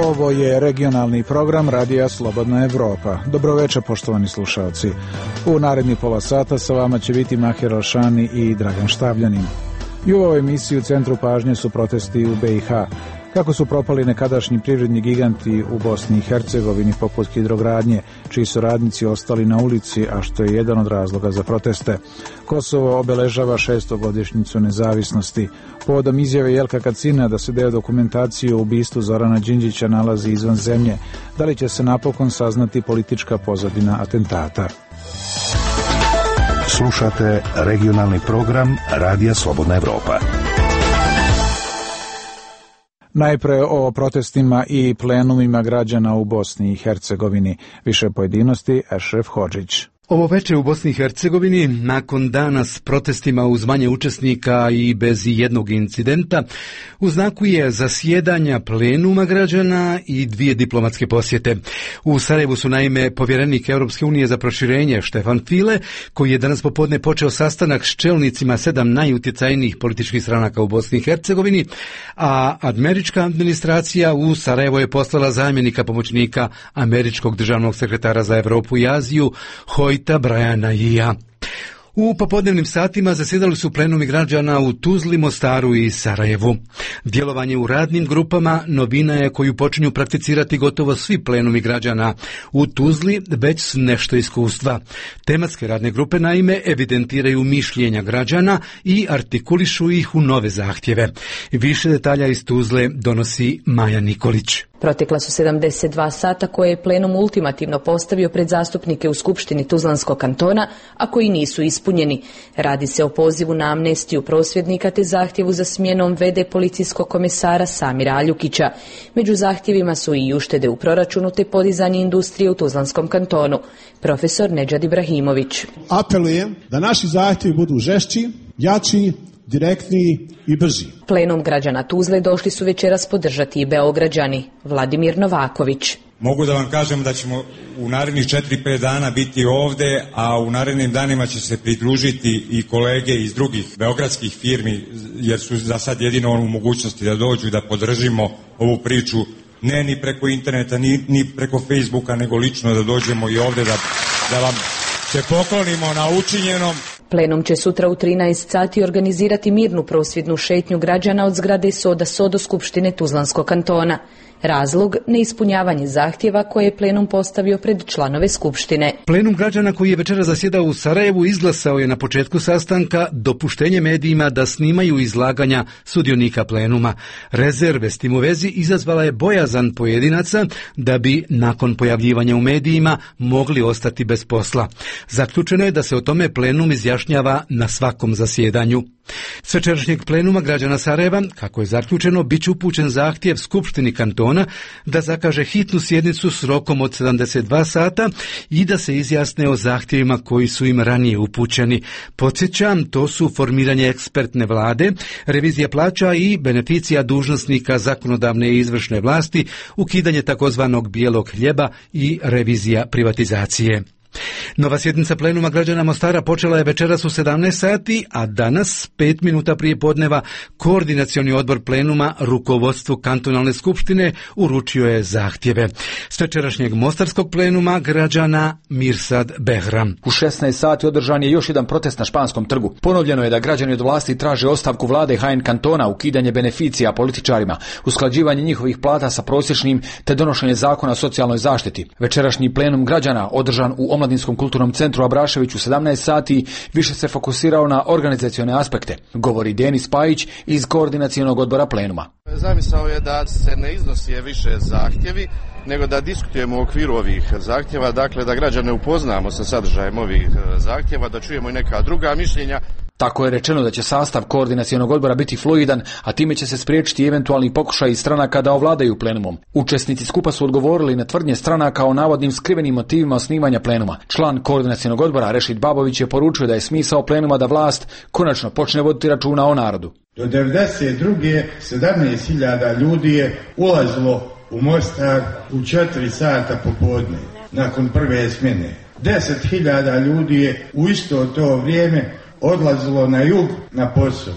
Ovo je regionalni program Radija Slobodna Evropa. Dobroveče, poštovani slušalci. U naredni pola sata sa vama će biti Mahir Alšani i Dragan Štavljanin. I u ovoj emisiji u centru pažnje su protesti u BiH. Kako su propali nekadašnji privredni giganti u Bosni i Hercegovini poput Hidrogradnje, čiji su radnici ostali na ulici, a što je jedan od razloga za proteste. Kosovo obeležava 600. godišnjicu nezavisnosti. Povodom izjave Jelka Kacina da se deo dokumentacije o ubistvu Zorana Đinđića nalazi izvan zemlje, da li će se napokon saznati politička pozadina atentata? Slušate regionalni program Radija Slobodna Evropa. Najpre o protestima i plenumima građana u Bosni i Hercegovini. Više pojedinosti, Ešref Hodžić. Ovo veče u Bosni i Hercegovini, nakon dana s protestima uz manje učesnika i bez jednog incidenta, u znaku je zasjedanja plenuma građana i 2 diplomatske posjete. U Sarajevu su naime povjerenik Europske unije za proširenje Štefan File, koji je danas popodne počeo sastanak s čelnicima 7 najutjecajnijih političkih stranaka u Bosni i Hercegovini, a američka administracija u Sarajevo je poslala zamjenika pomoćnika američkog državnog sekretara za Europu i Aziju, Briana Ija. U popodnevnim satima zasjedali su plenumi građana u Tuzli, Mostaru i Sarajevu. Djelovanje u radnim grupama novina je koju počinju prakticirati gotovo svi plenumi građana. U Tuzli već su nešto iskustva. Tematske radne grupe naime evidentiraju mišljenja građana i artikulišu ih u nove zahtjeve. Više detalja iz Tuzle donosi Maja Nikolić. Protekla su 72 sata koje je plenum ultimativno postavio pred zastupnike u Skupštini Tuzlanskog kantona, a koji nisu ispunjeni. Radi se o pozivu na amnestiju prosvjednika te zahtjevu za smjenom v.d. policijskog komesara Samira Aljukića. Među zahtjevima su i uštede u proračunu te podizanje industrije u Tuzlanskom kantonu. Profesor Nedžad Ibrahimović. Apelujem da naši zahtjevi budu žešći, jači, direktniji i brži. Plenum građana Tuzle došli su večeras podržati i Beograđani. Vladimir Novaković. Mogu da vam kažem da ćemo u narednih 4-5 dana biti ovde, a u narednim danima će se pridružiti i kolege iz drugih beogradskih firmi, jer su za sad jedino u mogućnosti da dođu i da podržimo ovu priču, ne ni preko interneta, ni preko Facebooka, nego lično da dođemo i ovde da vam se poklonimo na učinjenom. Plenum će sutra u 13 sati organizirati mirnu prosvjednu šetnju građana od zgrade Soda do Skupštine Tuzlanskog kantona. Razlog, neispunjavanje zahtjeva koje je plenum postavio pred članove Skupštine. Plenum građana koji je večera zasjedao u Sarajevu izglasao je na početku sastanka dopuštenje medijima da snimaju izlaganja sudionika plenuma. Rezerve s tim u vezi izazvala je bojazan pojedinaca da bi nakon pojavljivanja u medijima mogli ostati bez posla. Zaključeno je da se o tome plenum izjašnjava na svakom zasjedanju. S večerašnjeg plenuma građana Sarajeva, kako je zaključeno, bit će upućen zahtjev Skupštini kantona da zakaže hitnu sjednicu s rokom od 72 sata i da se izjasne o zahtjevima koji su im ranije upućeni. Podsjećam, to su formiranje ekspertne vlade, revizija plaća i beneficija dužnosnika zakonodavne i izvršne vlasti, ukidanje takozvanog bijelog hljeba i revizija privatizacije. Nova sjednica plenuma građana Mostara počela je večeras u 17 sati, a danas, 5 minuta prije podneva, koordinacioni odbor plenuma rukovodstvu kantonalne skupštine uručio je zahtjeve. S večerašnjeg mostarskog plenuma građana Mirsad Behram. U 16 sati održan je još jedan protest na Španskom trgu. Ponovljeno je da građani od vlasti traže ostavku vlade HN kantona, ukidanje beneficija političarima, usklađivanje njihovih plata sa prosječnim te donošenje zakona o socijalnoj zaštiti. Večerašnji plenum građana održan u Omladinskom kulturnom centru Abrašević u 17 sati više se fokusirao na organizacione aspekte, govori Denis Pajić iz koordinacionog odbora plenuma. Zamisao je da se ne iznosi više zahtjevi, nego da diskutujemo u okviru ovih zahtjeva, dakle da građane upoznamo sa sadržajem ovih zahtjeva, da čujemo i neka druga mišljenja. Tako je rečeno da će sastav koordinacionog odbora biti fluidan, a time će se spriječiti eventualni pokušaj stranaka da ovladaju plenumom. Učesnici skupa su odgovorili na tvrdnje stranaka o navodnim skrivenim motivima osnivanja plenuma. Član koordinacionog odbora Rešid Babović je poručio da je smisao plenuma da vlast konačno počne voditi računa o narodu. Do 1992. 17.000 ljudi je ulazilo u Mostar u 4 sata popodne, nakon prve smjene. 10.000 ljudi je u isto to vrijeme odlazilo na jug na posao.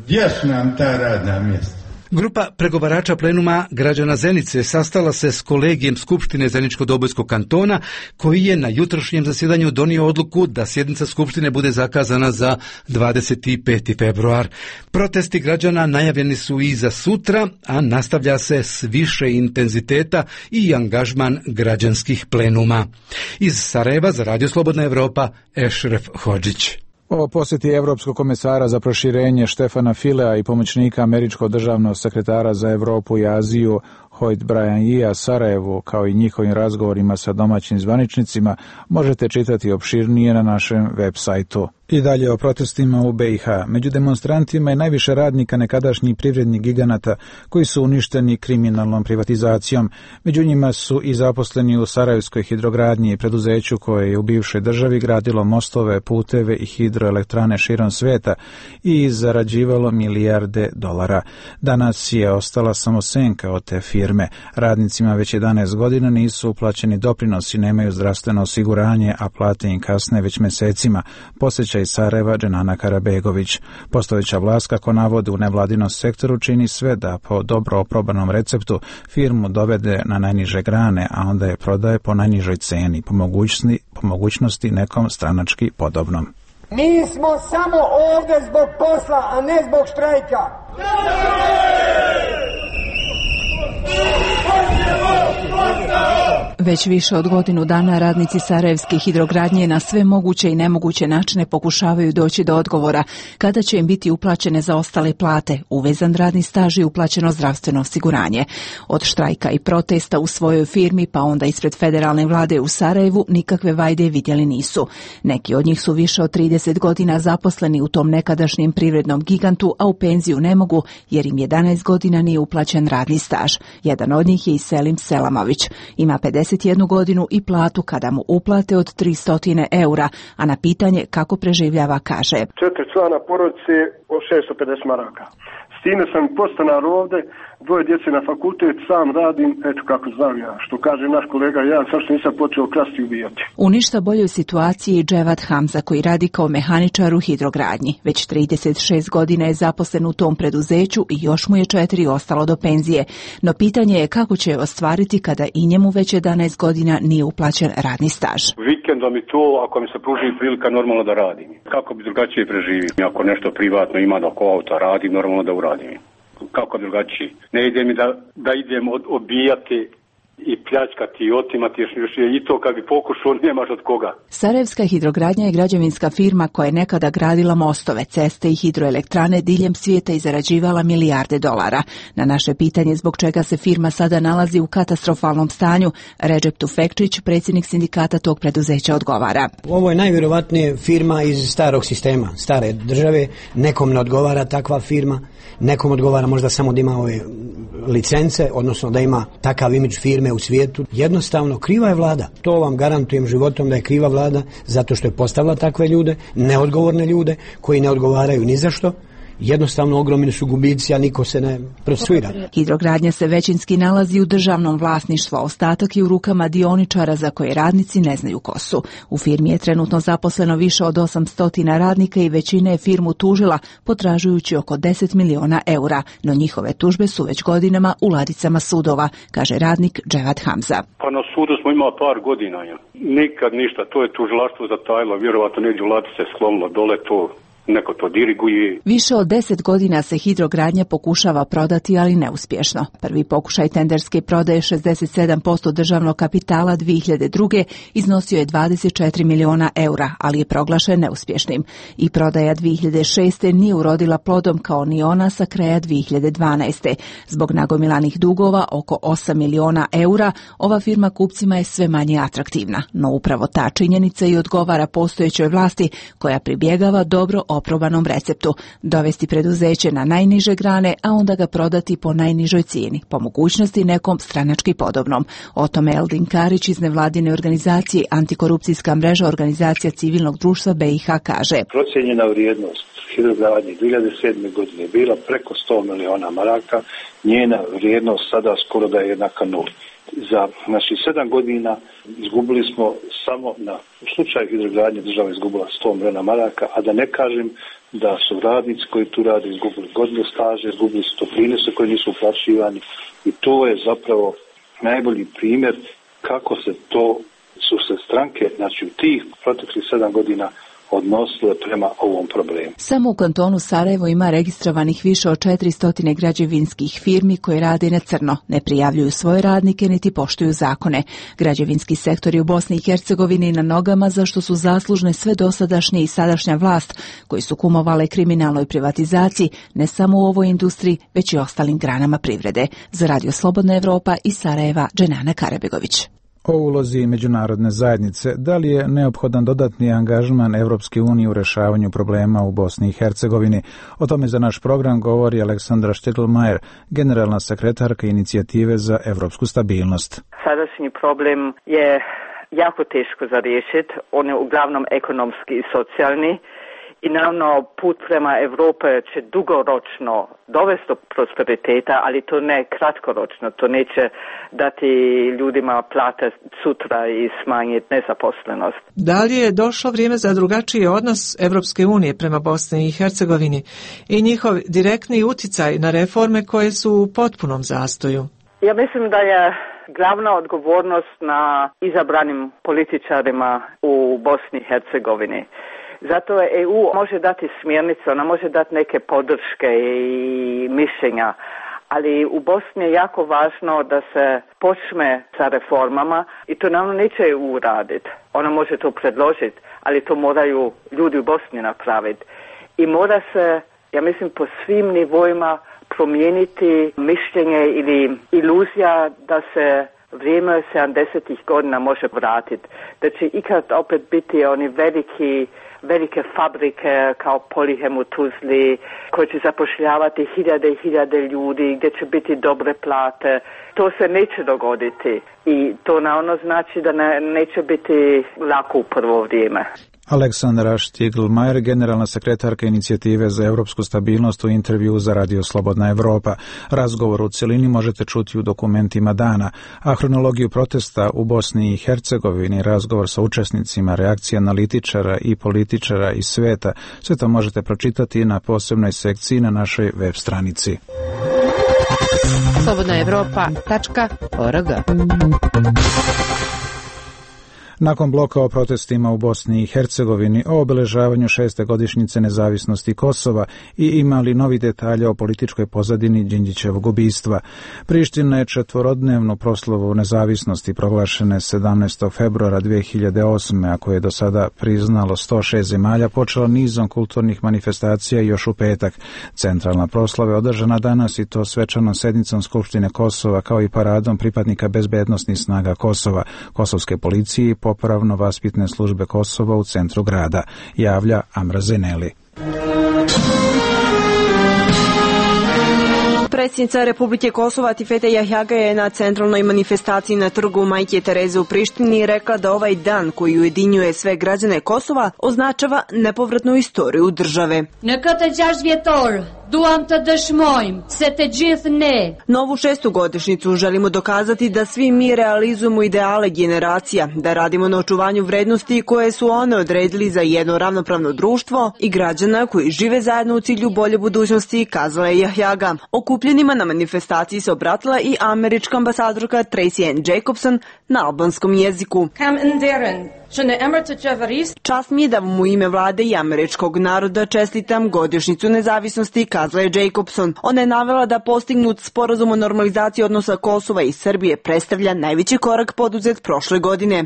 Gdje su nam ta radna mjesta? Grupa pregovarača plenuma građana Zenice sastala se s kolegijem Skupštine Zeničko-Dobojskog kantona, koji je na jutrošnjem zasjedanju donio odluku da sjednica Skupštine bude zakazana za 25. februar. Protesti građana najavljeni su i za sutra, a nastavlja se s više intenziteta i angažman građanskih plenuma. Iz Sarajeva za Radio Slobodna Evropa, Ešref Hodžić. O posjeti Evropskog komesara za proširenje Štefana Filea i pomoćnika američkog državnog sekretara za Europu i Aziju Hoyt Bryan Sarajevu, kao i njihovim razgovorima sa domaćim zvaničnicima, možete čitati opširnije na našem web sajtu. I dalje o protestima u BiH. Među demonstrantima je najviše radnika nekadašnjih privrednih giganata koji su uništeni kriminalnom privatizacijom. Među njima su i zaposleni u Sarajevskoj hidrogradnji i preduzeću koje je u bivšoj državi gradilo mostove, puteve i hidroelektrane širom sveta i zarađivalo milijarde dolara. Danas je ostala samo senka od te firme. Radnicima već 11 godina nisu uplaćeni doprinosi, nemaju zdravstveno osiguranje, a plate im kasne već mesecima. Posjeća iz Sarajeva Dženana Karabegović. Postojeća vlast, kako navode u nevladinom sektoru, čini sve da po dobro oprobanom receptu firmu dovede na najniže grane, a onda je prodaje po najnižoj ceni, po mogućnosti nekom stranački podobnom. Mi smo samo ovdje zbog posla, a ne zbog štrajka. Već više od godinu dana radnici Sarajevske hidrogradnje na sve moguće i nemoguće načine pokušavaju doći do odgovora kada će im biti uplaćene zaostale plate, uvezan radni staž i uplaćeno zdravstveno osiguranje. Od štrajka i protesta u svojoj firmi pa onda ispred federalne vlade u Sarajevu nikakve vajde vidjeli nisu. Neki od njih su više od 30 godina zaposleni u tom nekadašnjem privrednom gigantu, a u penziju ne mogu jer im 11 godina nije uplaćen radni staž. Jedan od njih je i Selim Selamović. Ima 51 godinu i platu kada mu uplate od 300 eura, a na pitanje kako preživljava kaže: 4 člana porodice od 650 maraka. S time sam podstanar ovde, 2 djece na fakultet, sam radim, eto kako znam ja. Što kaže naš kolega, ja sad što nisam počeo krasti i ubijati. U ništa boljoj situaciji je Dževat Hamza, koji radi kao mehaničar u hidrogradnji. Već 36 godina je zaposlen u tom preduzeću i još mu je 4 ostalo do penzije. No pitanje je kako će je ostvariti kada i njemu već 11 godina nije uplaćen radni staž. Vikendom i to, ako mi se pruži prilika, normalno da radim. Kako bi drugačije preživio? Ako nešto privatno ima da oko auta radi, normalno da uradim. Kako drugačije? Ne ide mi da idem obijati i pljačkati i otimati, još i to kad bi pokušao, nemaš od koga. Sarajevska hidrogradnja je građevinska firma koja je nekada gradila mostove, ceste i hidroelektrane diljem svijeta i zarađivala milijarde dolara. Na naše pitanje zbog čega se firma sada nalazi u katastrofalnom stanju, Recep Tufekčić, predsjednik sindikata tog preduzeća, odgovara: Ovo je najvjerovatnije firma iz starog sistema, stare države. Nekom ne odgovara takva firma, nekom odgovara možda samo da ima ove licence, odnosno da ima takav imidž firme u svijetu. Jednostavno, kriva je vlada. To vam garantujem životom da je kriva vlada, zato što je postavila takve ljude, neodgovorne ljude, koji ne odgovaraju ni za što. Jednostavno ogromni su gubici, a niko se ne procesuira. Hidrogradnja se većinski nalazi u državnom vlasništvu, a ostatak je u rukama dioničara za koje radnici ne znaju ko su. U firmi je trenutno zaposleno više od 800 radnika i većina je firmu tužila, potražujući oko 10 miliona eura, no njihove tužbe su već godinama u ladicama sudova, kaže radnik Dževat Hamza. Pa na sudu smo imali par godina. Nikad ništa, to je tužilaštvo zatajilo, vjerovatno negdje u ladice sklonilo dole to. Neko to diriguje. Više od 10 godina se hidrogradnja pokušava prodati, ali neuspješno. Prvi pokušaj tenderske prodaje 67% državnog kapitala 2002. iznosio je 24 miliona eura, ali je proglašen neuspješnim. I prodaja 2006. nije urodila plodom kao ni ona sa kraja 2012. Zbog nagomilanih dugova oko 8 miliona eura, ova firma kupcima je sve manje atraktivna. No upravo ta činjenica i odgovara postojećoj vlasti koja pribjegava dobro oprobanom receptu, dovesti preduzeće na najniže grane, a onda ga prodati po najnižoj cijeni, po mogućnosti nekom stranački podobnom. O tome Eldin Karić iz nevladine organizacije Antikorupcijska mreža organizacija civilnog društva BiH kaže: Procijenjena vrijednost hidrogradnje 2007. godine je bila preko 100 miliona maraka, njena vrijednost sada skoro da je jednaka nuli. Za naših 7 godina izgubili smo samo u slučaju hidrogradnje država izgubila 100 miliona maraka, a da ne kažem da su radnici koji tu rade izgubili godinu staže, izgubili su toplinese koji nisu uplaćivani i to je zapravo najbolji primjer kako su se stranke, znači u tih proteklih 7 godina odnosile prema ovom problemu. Samo u kantonu Sarajevo ima registrovanih više od 400 građevinskih firmi koje rade na crno, ne prijavljuju svoje radnike niti poštuju zakone. Građevinski sektori u Bosni i Hercegovini na nogama za što su zaslužne sve dosadašnje i sadašnja vlast koji su kumovale kriminalnoj privatizaciji ne samo u ovoj industriji već i ostalim granama privrede. Za Radio Slobodna Evropa iz Sarajeva, Dženana Karabegović. O ulozi međunarodne zajednice, da li je neophodan dodatni angažman Evropske unije u rešavanju problema u Bosni i Hercegovini? O tome za naš program govori Aleksandra Šteglmajer, generalna sekretarka Inicijative za evropsku stabilnost. Sadašnji problem je jako teško za riješiti, on je uglavnom ekonomski i socijalni. I naravno put prema Europe će dugoročno dovesti do prosperiteta, ali to ne kratkoročno, to neće dati ljudima plate sutra i smanjiti nezaposlenost. Da li je došlo vrijeme za drugačiji odnos Evropske unije prema Bosni i Hercegovini i njihov direktni uticaj na reforme koje su u potpunom zastoju? Ja mislim da je glavna odgovornost na izabranim političarima u Bosni i Hercegovini. Zato EU može dati smjernice, ona može dati neke podrške i mišljenja, ali u Bosni je jako važno da se počne sa reformama i to naravno neće EU uraditi. Ona može to predložiti, ali to moraju ljudi u Bosni napraviti. I mora se, ja mislim, po svim nivoima promijeniti mišljenje ili iluzija da se vrijeme 70-ih godina može vratiti. Da će ikad opet biti oni velike fabrike kao Polihem u Tuzli koji će zapošljavati hiljade i hiljade ljudi, gdje će biti dobre plate. To se neće dogoditi i to naravno znači da neće biti lako u prvo vrijeme. Aleksandra Šteglmajer, generalna sekretarka Inicijative za evropsku stabilnost u intervju za Radio Slobodna Evropa. Razgovor u cjelini možete čuti u dokumentima dana, a hronologiju protesta u Bosni i Hercegovini, razgovor sa učesnicima, reakcije analitičara i političara iz sveta, sve to možete pročitati na posebnoj sekciji na našoj web stranici. slobodnaevropa.org. Nakon bloka o protestima u Bosni i Hercegovini, o obeležavanju 6. godišnjice nezavisnosti Kosova i imali novi detalje o političkoj pozadini Đinđićevog ubistva. Priština je 4-dnevnu proslavu nezavisnosti proglašene 17. februara 2008. a koje je do sada priznalo 106 zemalja, počela nizom kulturnih manifestacija još u petak. Centralna proslava je održana danas i to svečanom sednicom Skupštine Kosova kao i paradom pripadnika bezbednosnih snaga Kosova, kosovske policije i popravno-vaspitne službe Kosova u centru grada, javlja Amra Zeneli. Predsjednica Republike Kosova Tifete Jahjaga je na centralnoj manifestaciji na trgu Majke Tereze u Prištini rekla da ovaj dan koji ujedinjuje sve građane Kosova označava nepovratnu istoriju države. Novu 6. godišnjicu želimo dokazati da svi mi realizujemo ideale generacija, da radimo na očuvanju vrednosti koje su one odredili za jedno ravnopravno društvo i građana koji žive zajedno u cilju bolje budućnosti, kazala je Jahjaga. Okupljenima na manifestaciji se obratila i američka ambasadorka Tracy Ann Jacobson na albanskom jeziku. Čast mi je da vam u ime vlade i američkog naroda čestitam godišnjicu nezavisnosti, kazala je Jacobson. Ona je navela da postignut sporazum o normalizaciji odnosa Kosova i Srbije predstavlja najveći korak poduzet prošle godine.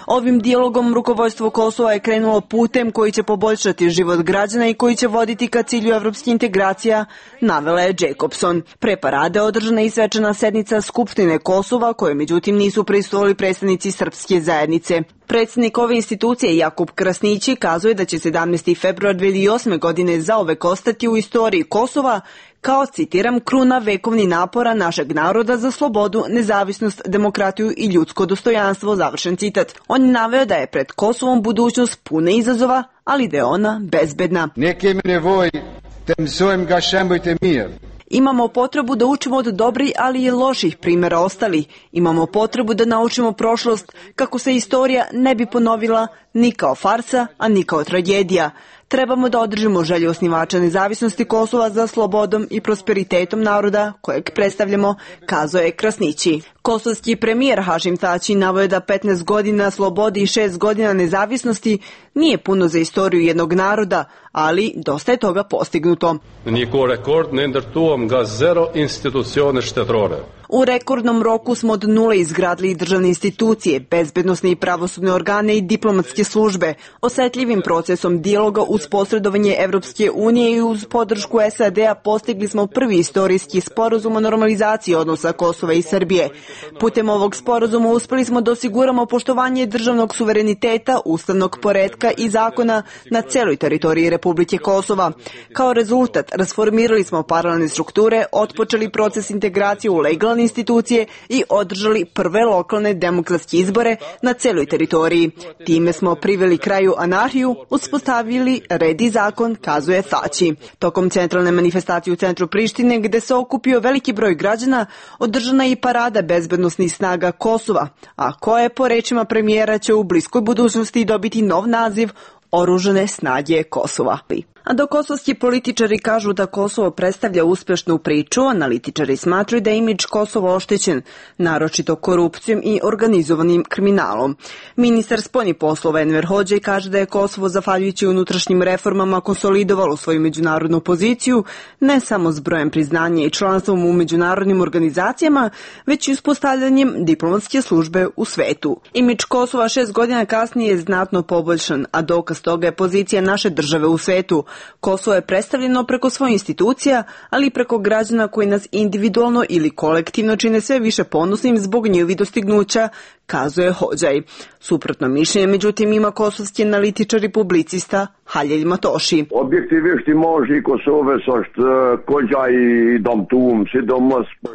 Ovim dijalogom rukovodstvo Kosova je krenulo putem koji će poboljšati život građana i koji će voditi ka cilju evropskih integracija, navela je Jacobson. Pre parade održana i svečana sednica Skupštine Kosova, koje međutim nisu prisustvovali predstavnici srpske zajednice. Predsjednik ove institucije Jakub Krasnići kazuje da će 17. februar 2008. godine zauvek ostati u istoriji Kosova kao, citiram, kruna vekovni napora našeg naroda za slobodu, nezavisnost, demokratiju i ljudsko dostojanstvo, završen citat. On je naveo da je pred Kosovom budućnost puna izazova, ali da je ona bezbedna. Imamo potrebu da učimo od dobrih, ali i loših primjera ostalih. Imamo potrebu da naučimo prošlost kako se istorija ne bi ponovila ni kao farsa, a ni kao tragedija. Trebamo da održimo želju osnivača nezavisnosti Kosova za slobodom i prosperitetom naroda kojeg predstavljamo, kazao je Krasnići. Kosovski premijer Hašim Tači naveo je da 15 godina slobode i 6 godina nezavisnosti nije puno za istoriju jednog naroda, ali dosta je toga postignuto. U rekordnom roku smo od nule izgradili državne institucije, bezbednosne i pravosudne organe i diplomatske službe. Osetljivim procesom dijaloga uz posredovanje Evropske unije i uz podršku SAD-a postigli smo prvi istorijski sporazum o normalizaciji odnosa Kosova i Srbije. Putem ovog sporazuma uspeli smo da osiguramo poštovanje državnog suvereniteta, ustavnog poretka i zakona na celoj teritoriji Republike Kosova. Kao rezultat, rasformirali smo paralelne strukture, otpočeli proces integracije u legalne institucije i održali prve lokalne demokratske izbore na celoj teritoriji. Time smo priveli kraju anarhiju, uspostavili red i zakon, kazuje Tači. Tokom centralne manifestacije u centru Prištine, gde se okupio veliki broj građana, održana je i parada bezbednosnih snaga Kosova, a koje, po rečima premijera, će u bliskoj budućnosti dobiti nov naziv Oružane snage Kosova. A dok kosovski političari kažu da Kosovo predstavlja uspešnu priču, analitičari smatraju da je imidž Kosova oštećen, naročito korupcijom i organizovanim kriminalom. Ministar spoljnih poslova Enver Hodžaj kaže da je Kosovo, zahvaljujući unutrašnjim reformama, konsolidovalo svoju međunarodnu poziciju, ne samo s brojem priznanja i članstvom u međunarodnim organizacijama, već i uspostavljanjem diplomatske službe u svetu. Imidž Kosova 6 godina kasnije je znatno poboljšan, a dokaz toga je pozicija naše države u svetu. Kosovo je predstavljeno preko svojih institucija, ali i preko građana koji nas individualno ili kolektivno čine sve više ponosnim zbog njihovih dostignuća, kazuje Hodžaj. Suprotno mišljenje, međutim, ima kosovski analitičar i publicista Halil Matoshi.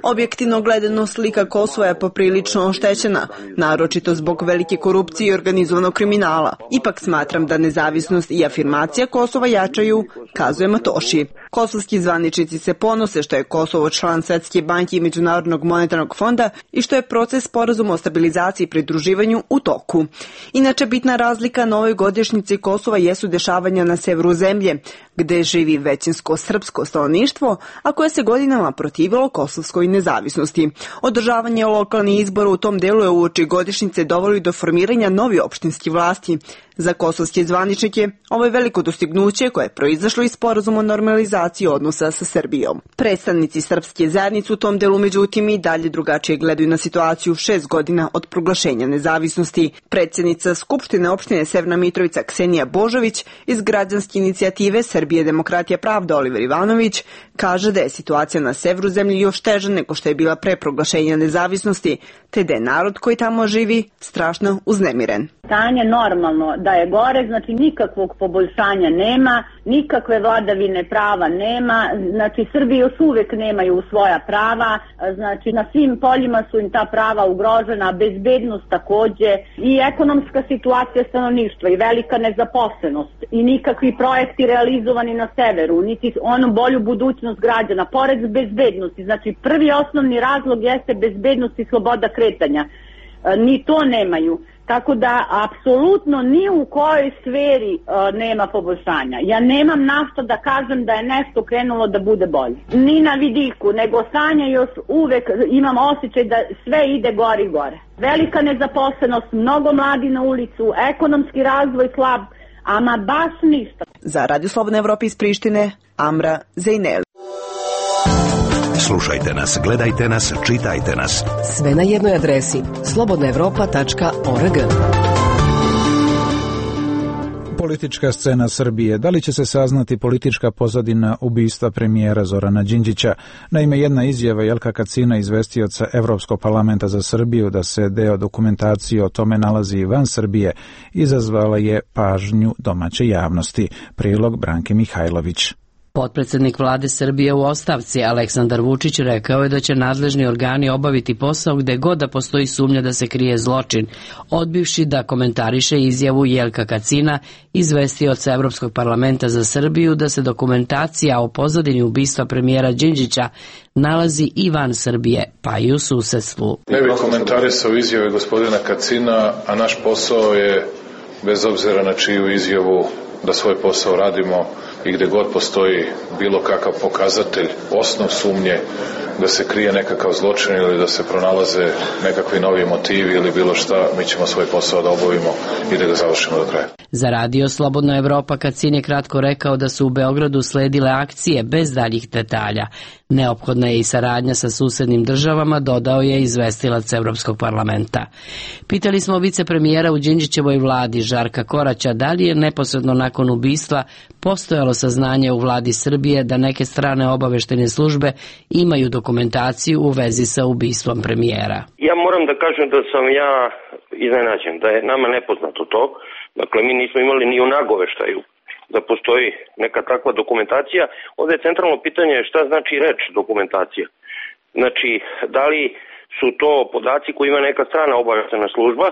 Objektivno gledano, slika Kosova je poprilično oštećena, naročito zbog velike korupcije i organizovanog kriminala. Ipak smatram da nezavisnost i afirmacija Kosova jačaju, kazuje Matoshi. Kosovski zvaničnici se ponose što je Kosovo član Svetske banke i Međunarodnog monetarnog fonda i što je proces sporazuma o stabilizaciji i pridruživanju u toku. Inače, bitna razlika na ovoj godišnjici Kosova jesu dešavanja na severu zemlje, gde živi većinsko srpsko stanovništvo, a koje se godinama protivilo kosovskoj nezavisnosti. Održavanje lokalnih izbora u tom delu je uoči godišnjice dovelo do formiranja novi opštinski vlasti. Za kosovske zvaničnike ovo je veliko dostignuće koje je proizašlo iz sporazuma o normalizaciji odnosa sa Srbijom. Predstavnici srpske zajednice u tom delu, međutim, i dalje drugačije gledaju na situaciju 6 godina od proglašenja nezavisnosti. Predsjednica Skupštine opštine Severna Mitrovica Ksenija Božović iz građanske inicijative Srbije, demokratija, pravda Oliver Ivanović kaže da je situacija na severu zemlje još teža nego što je bila pre proglašenja nezavisnosti, te da je narod koji tamo živi strašno uznemiren. Stanje normalno da je gore, znači nikakvog poboljšanja nema, nikakve vladavine prava nema, znači Srbi još uvek nemaju svoja prava, znači na svim poljima su im ta prava ugrožena, bezbednost takođe i ekonomska situacija stanovništva i velika nezaposlenost i nikakvi projekti realizovani na severu, niti onu bolju budućnost građana, pored bezbednosti, znači prvi osnovni razlog jeste bezbednost i sloboda kretanja, ni to nemaju. Tako da, apsolutno ni u kojoj sferi nema poboljšanja. Ja nemam na što da kažem da je nešto krenulo da bude bolje. Ni na vidiku, nego stanje još uvek imam osjećaj da sve ide gore i gore. Velika nezaposlenost, mnogo mladi na ulicu, ekonomski razvoj slab, ama baš ništa. Za Radio Slobodna Evropa iz Prištine, Amra Zejneli. Slušajte nas, gledajte nas, čitajte nas. Sve na jednoj adresi slobodnaevropa.org. Politička scena Srbije. Da li će se saznati politička pozadina ubistva premijera Zorana Đinđića? Naime, jedna izjava Jelka Kacina, izvestioca Evropskog parlamenta za Srbiju, da se deo dokumentacije o tome nalazi van Srbije, izazvala je pažnju domaće javnosti. Prilog Branke Mihajlović. Potpredsjednik vlade Srbije u ostavci Aleksandar Vučić rekao je da će nadležni organi obaviti posao gde god da postoji sumnja da se krije zločin, odbivši da komentariše izjavu Jelka Kacina, izvestioca Evropskog parlamenta za Srbiju, da se dokumentacija o pozadini ubistva premijera Đinđića nalazi i van Srbije, pa i u susedstvu. Ne bih komentarisao izjave gospodina Kacina, a naš posao je, bez obzira na čiju izjavu, da svoj posao radimo i gde god postoji bilo kakav pokazatelj, osnov sumnje da se krije nekakav zločin ili da se pronalaze nekakvi novi motivi ili bilo šta, mi ćemo svoj posao da obavimo i da ga završimo do kraja. Za radio Slobodna Evropa Kacin je kratko rekao da su u Beogradu sledile akcije bez daljih detalja. Neophodna je i saradnja sa susednim državama, dodao je izvestilac Evropskog parlamenta. Pitali smo vicepremijera u Đinđićevoj vladi Žarka Koraća da li je neposredno nakon ubistva postojalo saznanje u vladi Srbije da neke strane obaveštene službe imaju dokumentaciju u vezi sa ubistvom premijera. Ja moram da kažem da sam ja iznenađen, da je nama nepoznato to. Dakle, mi nismo imali ni u nagoveštaju da postoji neka takva dokumentacija. Ovdje je centralno pitanje šta znači reč dokumentacija. Znači, da li su to podaci koji ima neka strana obaveštena služba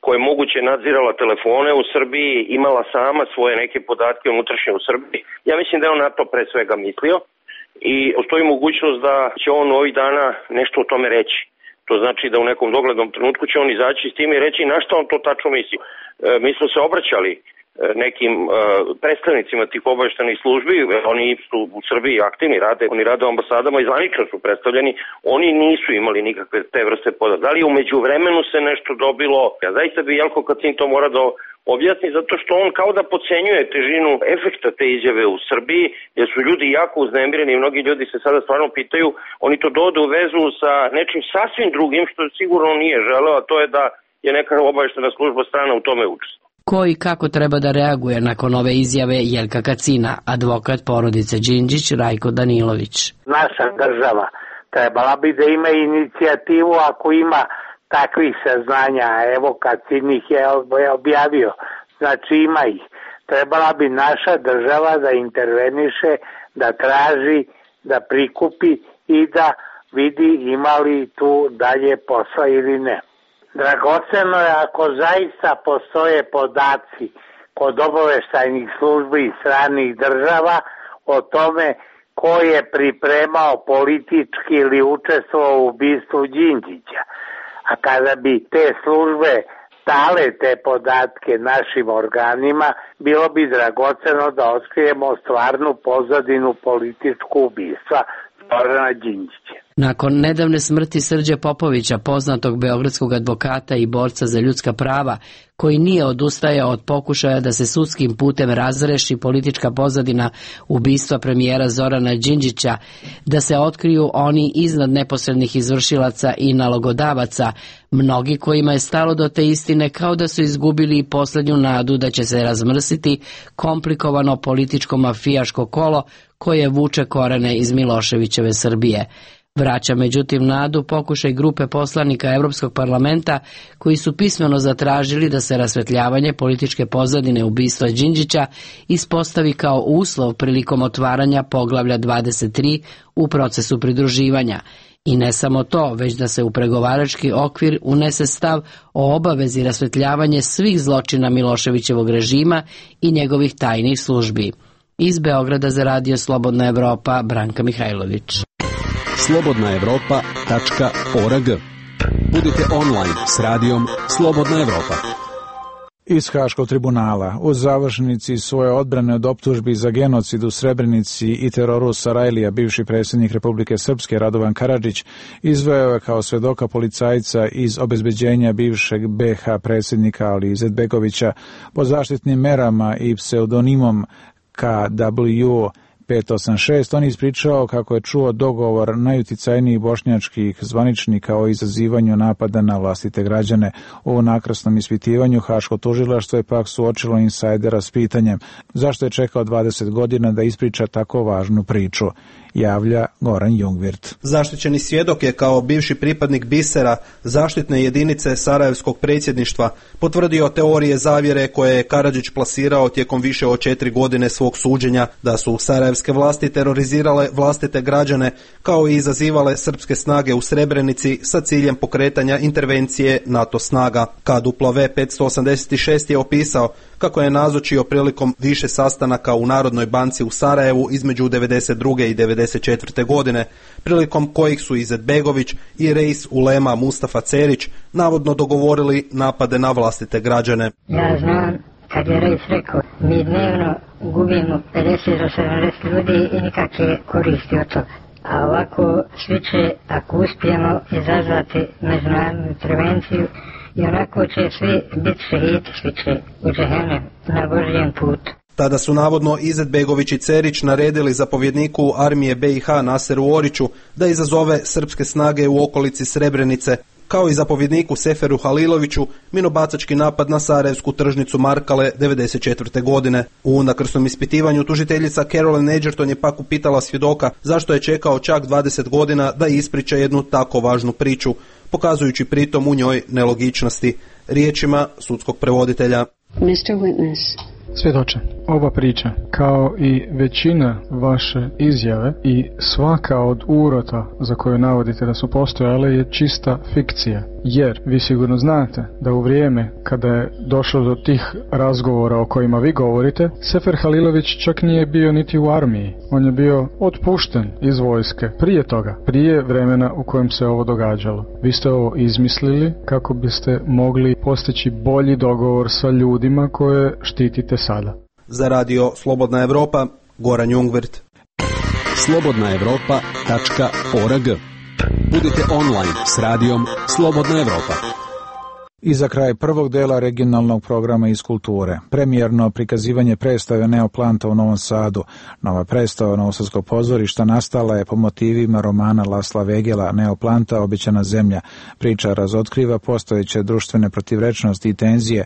koja je moguće nadzirala telefone u Srbiji, imala sama svoje neke podatke unutrašnje u Srbiji. Ja mislim da je on na to pre svega mislio i postoji mogućnost da će on ovih dana nešto o tome reći. To znači da u nekom doglednom trenutku će on izaći s tim i reći na što on to tačno misli. Mi smo se obraćali nekim predstavnicima tih obaveštenih službi, oni su u Srbiji aktivni, oni rade u ambasadama i zvanično su predstavljeni, oni nisu imali nikakve te vrste podataka. Da li u međuvremenu se nešto dobilo? Ja zaista bi Jelko Kacin to mora da objasni, zato što on kao da podcenjuje težinu efekta te izjave u Srbiji, jer su ljudi jako uznemireni i mnogi ljudi se sada stvarno pitaju, oni to dovode u vezu sa nečim sasvim drugim, što sigurno nije želeo, a to je da je neka obaveštena služba strana u tome učestvovала. Ko i kako treba da reaguje nakon ove izjave Jelka Kacina, advokat porodice Đinđić Rajko Danilović. Naša država trebala bi da ima inicijativu ako ima takvih saznanja, evo Kacin ih je objavio, znači ima ih. Trebala bi naša država da interveniše, da traži, da prikupi i da vidi ima li tu dalje posla ili ne. Dragoceno je ako zaista postoje podaci kod obaveštajnih službi i stranih država o tome ko je pripremao politički ili učestvovao u ubistvu Đinđića. A kada bi te službe dale te podatke našim organima, bilo bi dragoceno da otkrijemo stvarnu pozadinu političku ubistva Zorana Đinđića. Nakon nedavne smrti Srđe Popovića, poznatog beogradskog advokata i borca za ljudska prava, koji nije odustajao od pokušaja da se sudskim putem razreši politička pozadina ubistva premijera Zorana Đinđića, da se otkriju oni iznad neposrednih izvršilaca i nalogodavaca, mnogi kojima je stalo do te istine kao da su izgubili i poslednju nadu da će se razmrsiti komplikovano političko-mafijaško kolo koje vuče korene iz Miloševićeve Srbije. Vraća međutim nadu pokušaj grupe poslanika Evropskog parlamenta koji su pismeno zatražili da se rasvetljavanje političke pozadine ubistva Đinđića ispostavi kao uslov prilikom otvaranja poglavlja 23 u procesu pridruživanja. I ne samo to, već da se u pregovarački okvir unese stav o obavezi rasvetljavanje svih zločina Miloševićevog režima i njegovih tajnih službi. Iz Beograda za radio Slobodna Evropa, Branka Mihajlović. slobodnaevropa.org. Budite online s radijom Slobodna Evropa. Iz Haškog tribunala u završnici svoje odbrane od optužbi za genocid u Srebrenici i teroru Sarajlija bivši predsjednik Republike Srpske Radovan Karadžić izveo je kao svedoka policajca iz obezbeđenja bivšeg BH predsjednika Ali Izetbegovića pod zaštitnim merama i pseudonimom KW 586, on ispričao kako je čuo dogovor najuticajnijih bošnjačkih zvaničnika o izazivanju napada na vlastite građane. U nakrasnom ispitivanju Haško tužilaštvo je pak suočilo insajdera s pitanjem zašto je čekao 20 godina da ispriča tako važnu priču. Javlja Goran Jungvirt. Zaštićeni svjedok je kao bivši pripadnik Bisera, zaštitne jedinice Sarajevskog predsjedništva, potvrdio teorije zavjere koje je Karadžić plasirao tijekom više od 4 godine svog suđenja, da su sarajevski sarajevske vlasti terorizirale vlastite građane, kao i izazivale srpske snage u Srebrenici sa ciljem pokretanja intervencije NATO snaga. KWV 586 je opisao kako je nazočio prilikom više sastanaka u Narodnoj banci u Sarajevu između 92. i 94. godine, prilikom kojih su Izetbegović i Reis Ulema Mustafa Cerić navodno dogovorili napade na vlastite građane. Ja znam, kad je Reis rekao, mi dnevno gubimo 50 do 70 ljudi i nikakve koristi od toga. A ovako svi će, ako uspijemo izazvati međunarodnu intervenciju, i onako će svi biti šehidi, svi će u džehennem na Božijem putu. Tada su navodno Izetbegović i Cerić naredili zapovjedniku armije BiH Naseru Oriću da izazove srpske snage u okolici Srebrenice, kao i zapovjedniku Seferu Haliloviću minobacački napad na sarajevsku tržnicu Markale 94. godine. U unakrsnom ispitivanju tužiteljica Caroline Edgerton je pak upitala svjedoka zašto je čekao čak 20 godina da ispriča jednu tako važnu priču, pokazujući pritom u njoj nelogičnosti. Riječima sudskog prevoditelja. Mr. Witness. Svjedoče, ova priča, kao i većina vaše izjave i svaka od urota za koju navodite da su postojale je čista fikcija. Jer vi sigurno znate da u vrijeme kada je došlo do tih razgovora o kojima vi govorite, Sefer Halilović čak nije bio niti u armiji. On je bio otpušten iz vojske prije toga, prije vremena u kojem se ovo događalo. Vi ste ovo izmislili kako biste mogli postići bolji dogovor sa ljudima koje štitite sada. Za radio Slobodna Evropa, Goran Jungwirth. slobodnaevropa.org. Budite online s radijom Slobodna Evropa. I za kraj prvog dela regionalnog programa iz kulture. Premijerno prikazivanje predstave Neoplanta u Novom Sadu. Nova predstava Novosadskog pozorišta nastala je po motivima romana Lasla Vegela Neoplanta, Obećana zemlja. Priča razotkriva postojeće društvene protivrečnosti i tenzije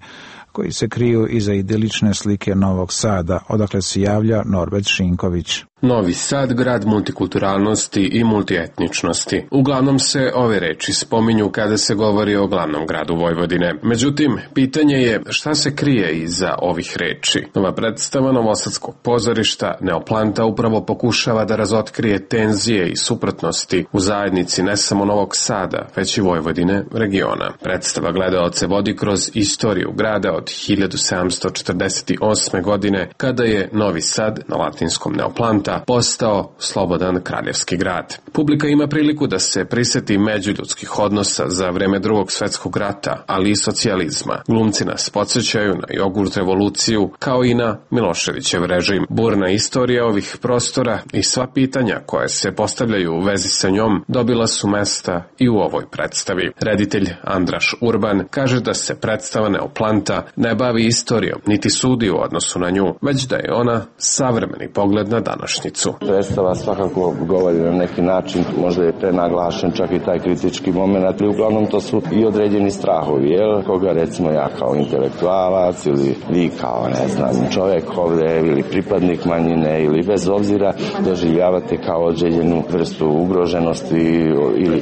koji se kriju iza idilične slike Novog Sada, odakle se javlja Norbert Šinković. Novi Sad, grad multikulturalnosti i multietničnosti. Uglavnom se ove reči spominju kada se govori o glavnom gradu Vojvodine. Međutim, pitanje je šta se krije iza ovih reči. Nova predstava Novosadskog pozorišta Neoplanta upravo pokušava da razotkrije tenzije i suprotnosti u zajednici ne samo Novog Sada, već i Vojvodine, regiona. Predstava gledaoce vodi kroz istoriju grada od 1748. godine, kada je Novi Sad, na latinskom Neoplanta, postao slobodan kraljevski grad. Publika ima priliku da se priseti međuljudskih odnosa za vreme Drugog svjetskog rata, ali i socijalizma. Glumci nas podsjećaju na jogurt revoluciju, kao i na Miloševićev režim. Burna istorija ovih prostora i sva pitanja koje se postavljaju u vezi sa njom dobila su mesta i u ovoj predstavi. Reditelj Andraš Urban kaže da se predstava Neoplanta ne bavi istorijom, niti sudi u odnosu na nju, već da je ona savremeni pogled na današnjicu. Predstava svakako govori na neki način, možda je prenaglašen čak i taj kritički moment, ali uglavnom to su i određeni strahovi, jel? Koga recimo ja kao intelektualac ili vi kao, ne znam, čovjek ovdje ili pripadnik manjine ili bez obzira doživljavate kao određenu vrstu ugroženosti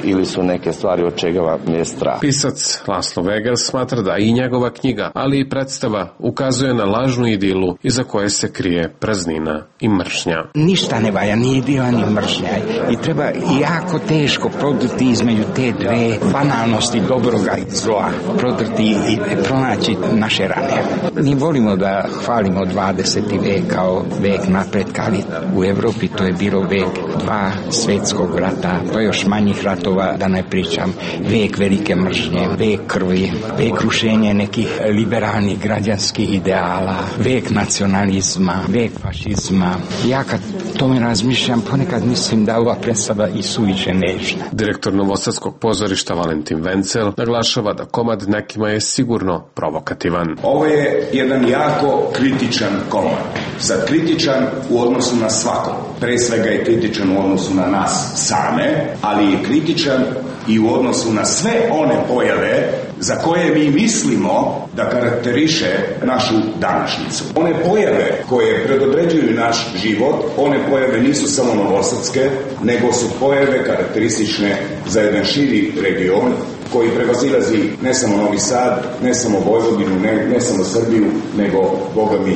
ili su neke stvari od čega vam je strah. Pisac Laslo Vegel smatra da i njegova knjiga, ali i predstava ukazuje na lažnu idilu iza koje se krije praznina i mržnja. Ništa ne valja, ni idila ni mržnja. I treba jako teško prodrti između te dve banalnosti dobroga i zla. Prodrti i pronaći naše rane. Mi volimo da hvalimo 20. vek kao vek napretka, ali u Evropi to je bilo vek 2 svjetskog rata, pa još manjih ratova, da ne pričam, vek velike mržnje, vek krvi, vek rušenja nekih liberalnih građanskih ideala, vek nacionalizma, vek fašizma. Ja kad tome razmišljam, ponekad mislim da ova predstava i suviše nežna. Direktor Novosadskog pozorišta Valentin Vencel naglašava da komad nekima je sigurno provokativan. Ovo je jedan jako kritičan komad. Sad kritičan u odnosu na svakog. Pre svega je kritičan u odnosu na nas same, ali je kritičan i u odnosu na sve one pojave za koje mi mislimo da karakteriše našu današnjicu. One pojave koje predodređuju naš život, one pojave nisu samo novosadske, nego su pojave karakteristične za jedan širi region koji prevazilazi ne samo Novi Sad, ne samo Vojvodinu, ne samo Srbiju, nego, Boga mi,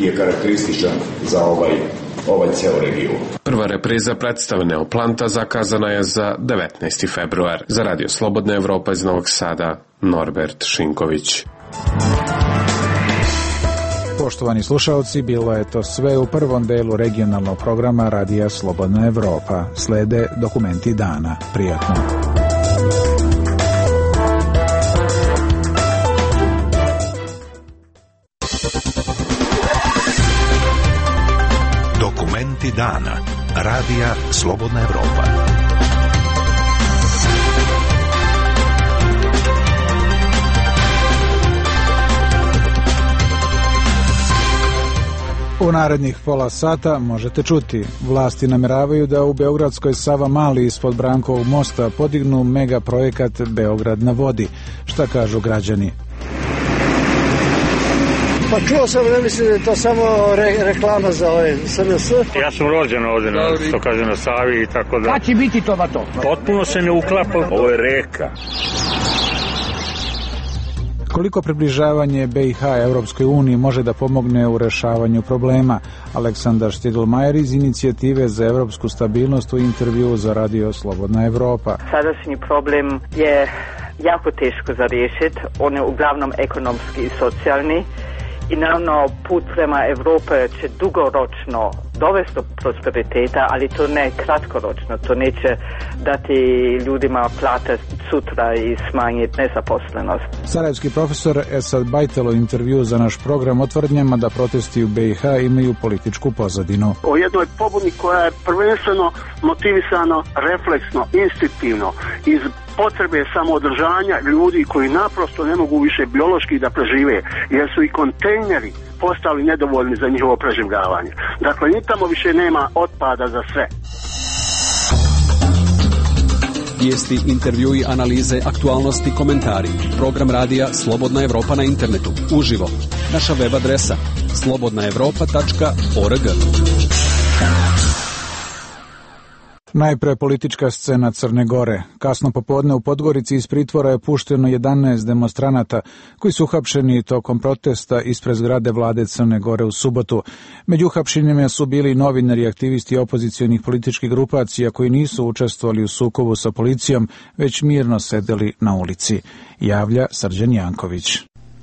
je karakterističan za ovaj ceo region. Prva repriza predstave Neoplanta zakazana je za 19. februar. Za Radio Slobodna Evropa iz Novog Sada, Norbert Šinković. Poštovani slušalci, bilo je to sve u prvom delu regionalnog programa Radija Slobodna Evropa. Slede dokumenti dana. Prijatno. Dokumenti dana. Radija Slobodna Evropa. U narednih pola sata možete čuti. Vlasti nameravaju da u Beogradskoj Savamali ispod Brankovog mosta podignu mega projekat Beograd na vodi. Šta kažu građani? Pa čuo sam, ne mislim da je to samo reklama za SNS. Ja sam rođen ovdje, što kaže, na Savi i tako da. Kad će biti to ba to? Potpuno se ne uklapa, ovo je reka. Koliko približavanje BiH Evropskoj uniji može da pomogne u rešavanju problema? Aleksandar Štiglmajer iz Inicijative za evropsku stabilnost u intervju za Radio Slobodna Evropa. Sadašnji problem je jako teško za riješiti. On je uglavnom ekonomski i socijalni. I naravno put prema Evrope će dugoročno dovesti do prosperiteta, ali to ne kratkoročno. To neće dati ljudima plate sutra i smanjiti nezaposlenost. Sarajevski profesor Esad Bajtel u intervju za naš program o tvrdnjama da protesti u BiH imaju političku pozadinu. O jednoj pobuni koja je prvenstveno motivisano, refleksno, instinktivno, iz potrebe samoodržanja ljudi koji naprosto ne mogu više biološki da prežive, jer su i kontejneri postali nedovoljni za njihovo preživljavanje. Dakle, ni tamo više nema otpada za sve. Vijesti, intervjui, analize, aktualnosti, komentari. Program radija Slobodna Evropa na internetu. Uživo. Naša web adresa slobodnaevropa.org. Najpre politička scena Crne Gore. Kasno popodne u Podgorici iz pritvora je pušteno 11 demonstranata koji su uhapšeni tokom protesta ispred zgrade vlade Crne Gore u subotu. Među uhapšenjima su bili novinari i aktivisti opozicionih političkih grupacija koji nisu učestvovali u sukobu sa policijom, već mirno sedeli na ulici. Javlja Srđan Janković.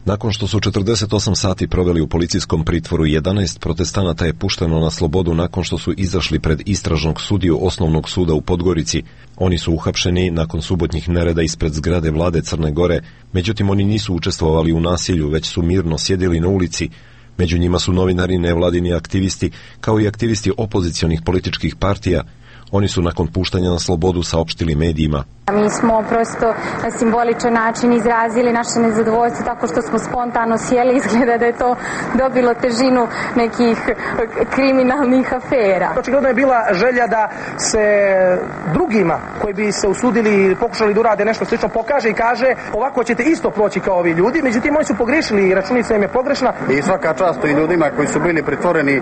Nakon što su 48 sati proveli u policijskom pritvoru, 11 protestanata je pušteno na slobodu nakon što su izašli pred istražnog sudiju Osnovnog suda u Podgorici. Oni su uhapšeni nakon subotnjih nereda ispred zgrade vlade Crne Gore, međutim oni nisu učestvovali u nasilju, već su mirno sjedili na ulici. Među njima su novinari, nevladini aktivisti, kao i aktivisti opozicionih političkih partija. Oni su nakon puštanja na slobodu saopštili medijima. Mi smo prosto na simboličan način izrazili naše nezadovoljstvo tako što smo spontano sjeli. Izgleda da je to dobilo težinu nekih kriminalnih afera. Očigledno je bila želja da se drugima koji bi se usudili i pokušali da urade nešto slično pokaže i kaže ovako ćete isto proći kao ovi ljudi. Međutim, oni su pogrešili i računica im je pogrešna. I svaka čast i ljudima koji su bili pritvoreni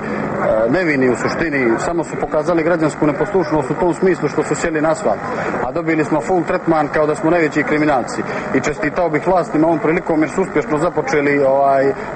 nevini u suštini, samo su pokazali građansku neposlušnost u tom smislu što su sjeli na asfalt. A dobili smo full tretman kao da smo najveći kriminalci. I čestitao bih vlastima ovom prilikom jer su uspješno započeli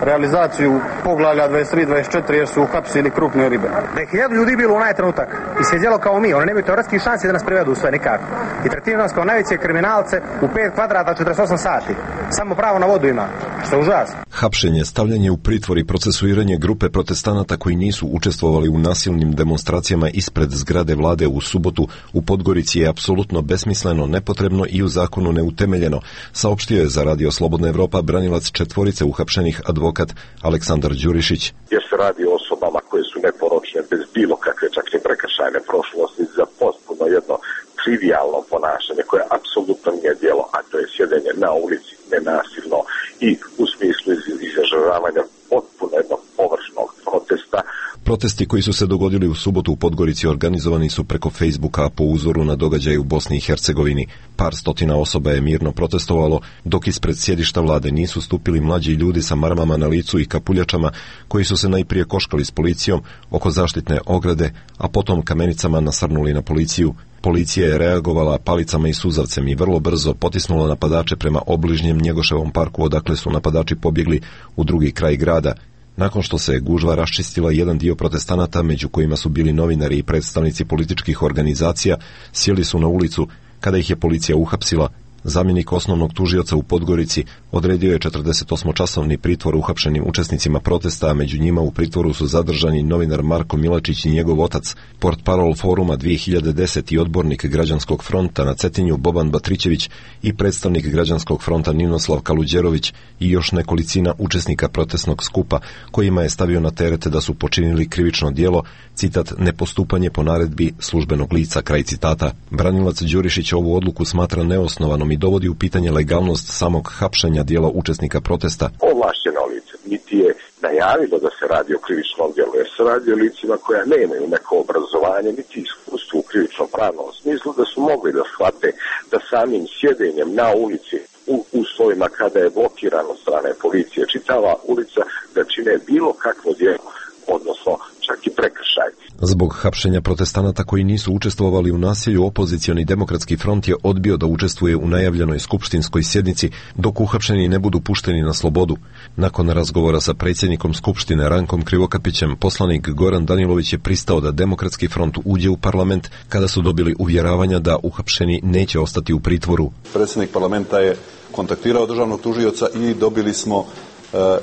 realizaciju poglavlja 23-24 jer su uhapsili krupne ribe. Da je 1000 ljudi bilo u onaj trenutak i sjedjelo kao mi, oni nemaju teoretskih šansi da nas privedu sve nikako. I tretiraju nas kao najveće kriminalce u 5 kvadrata 48 sati. Samo pravo na vodu ima, što je užasno. Hapšenje, stavljanje u pritvor i procesuiranje grupe protestanata koji nisu učestvovali u nasilnim demonstracijama ispred zgrade vlade u subotu u Podgorici je apsolutno besmisleno, nepotrebno i u zakonu neutemeljeno, saopštio je za Radio Slobodna Evropa branilac 4 uhapšenih advokat Aleksandar Đurišić. Jer se radi o osobama koje su neporočne, bez bilo kakve čak i prekršajne prošlosti, za potpuno jedno trivijalno ponašanje koje apsolutno nije djelo, a to je sjedenje na ulici nenasilno i u smislu izražavanja potpuno jednog površnog protesta. Protesti koji su se dogodili u subotu u Podgorici organizovani su preko Facebooka po uzoru na događaje u Bosni i Hercegovini. Par stotina osoba je mirno protestovalo, dok ispred sjedišta vlade nisu stupili mlađi ljudi sa marmama na licu i kapuljačama koji su se najprije koškali s policijom oko zaštitne ograde, a potom kamenicama nasrnuli na policiju. Policija je reagovala palicama i suzavcem i vrlo brzo potisnula napadače prema obližnjem Njegoševom parku, odakle su napadači pobjegli u drugi kraj grada. Nakon što se gužva raščistila, jedan dio protestanata, među kojima su bili novinari i predstavnici političkih organizacija, sjeli su na ulicu. Kada ih je policija uhapsila, zamjenik osnovnog tužioca u Podgorici odredio je 48-časovni pritvor uhapšenim učesnicima protesta, a među njima u pritvoru su zadržani novinar Marko Milačić i njegov otac, portparol Foruma 2010 i odbornik Građanskog fronta na Cetinju Boban Batrićević i predstavnik Građanskog fronta Ninoslav Kaluđerović i još nekolicina učesnika protestnog skupa, kojima je stavio na teret da su počinili krivično djelo, citat, nepostupanje po naredbi službenog lica, kraj citata. Branilac Đurišić ovu odluku smatra neosnovanom i dovodi u pitanje legalnost samog hapšenja dijela učesnika protesta. Ovlašćeno lice niti je najavilo da se radi o krivičnom djelu, jer se radi o licima koja nemaju neko obrazovanje niti iskustvo u krivičnom pravnom smislu, da su mogli da shvate da samim sjedenjem na ulici u uslovima kada je blokirano od strane policije čitava ulica da čine bilo kakvo djelo, odnosno čak i prekršaj. Zbog hapšenja protestanata koji nisu učestvovali u nasilju, opozicioni Demokratski front je odbio da učestvuje u najavljenoj skupštinskoj sjednici dok uhapšeni ne budu pušteni na slobodu. Nakon razgovora sa predsjednikom Skupštine Rankom Krivokapićem, poslanik Goran Danilović je pristao da Demokratski front uđe u parlament kada su dobili uvjeravanja da uhapšeni neće ostati u pritvoru. Predsjednik parlamenta je kontaktirao državnog tužioca i dobili smo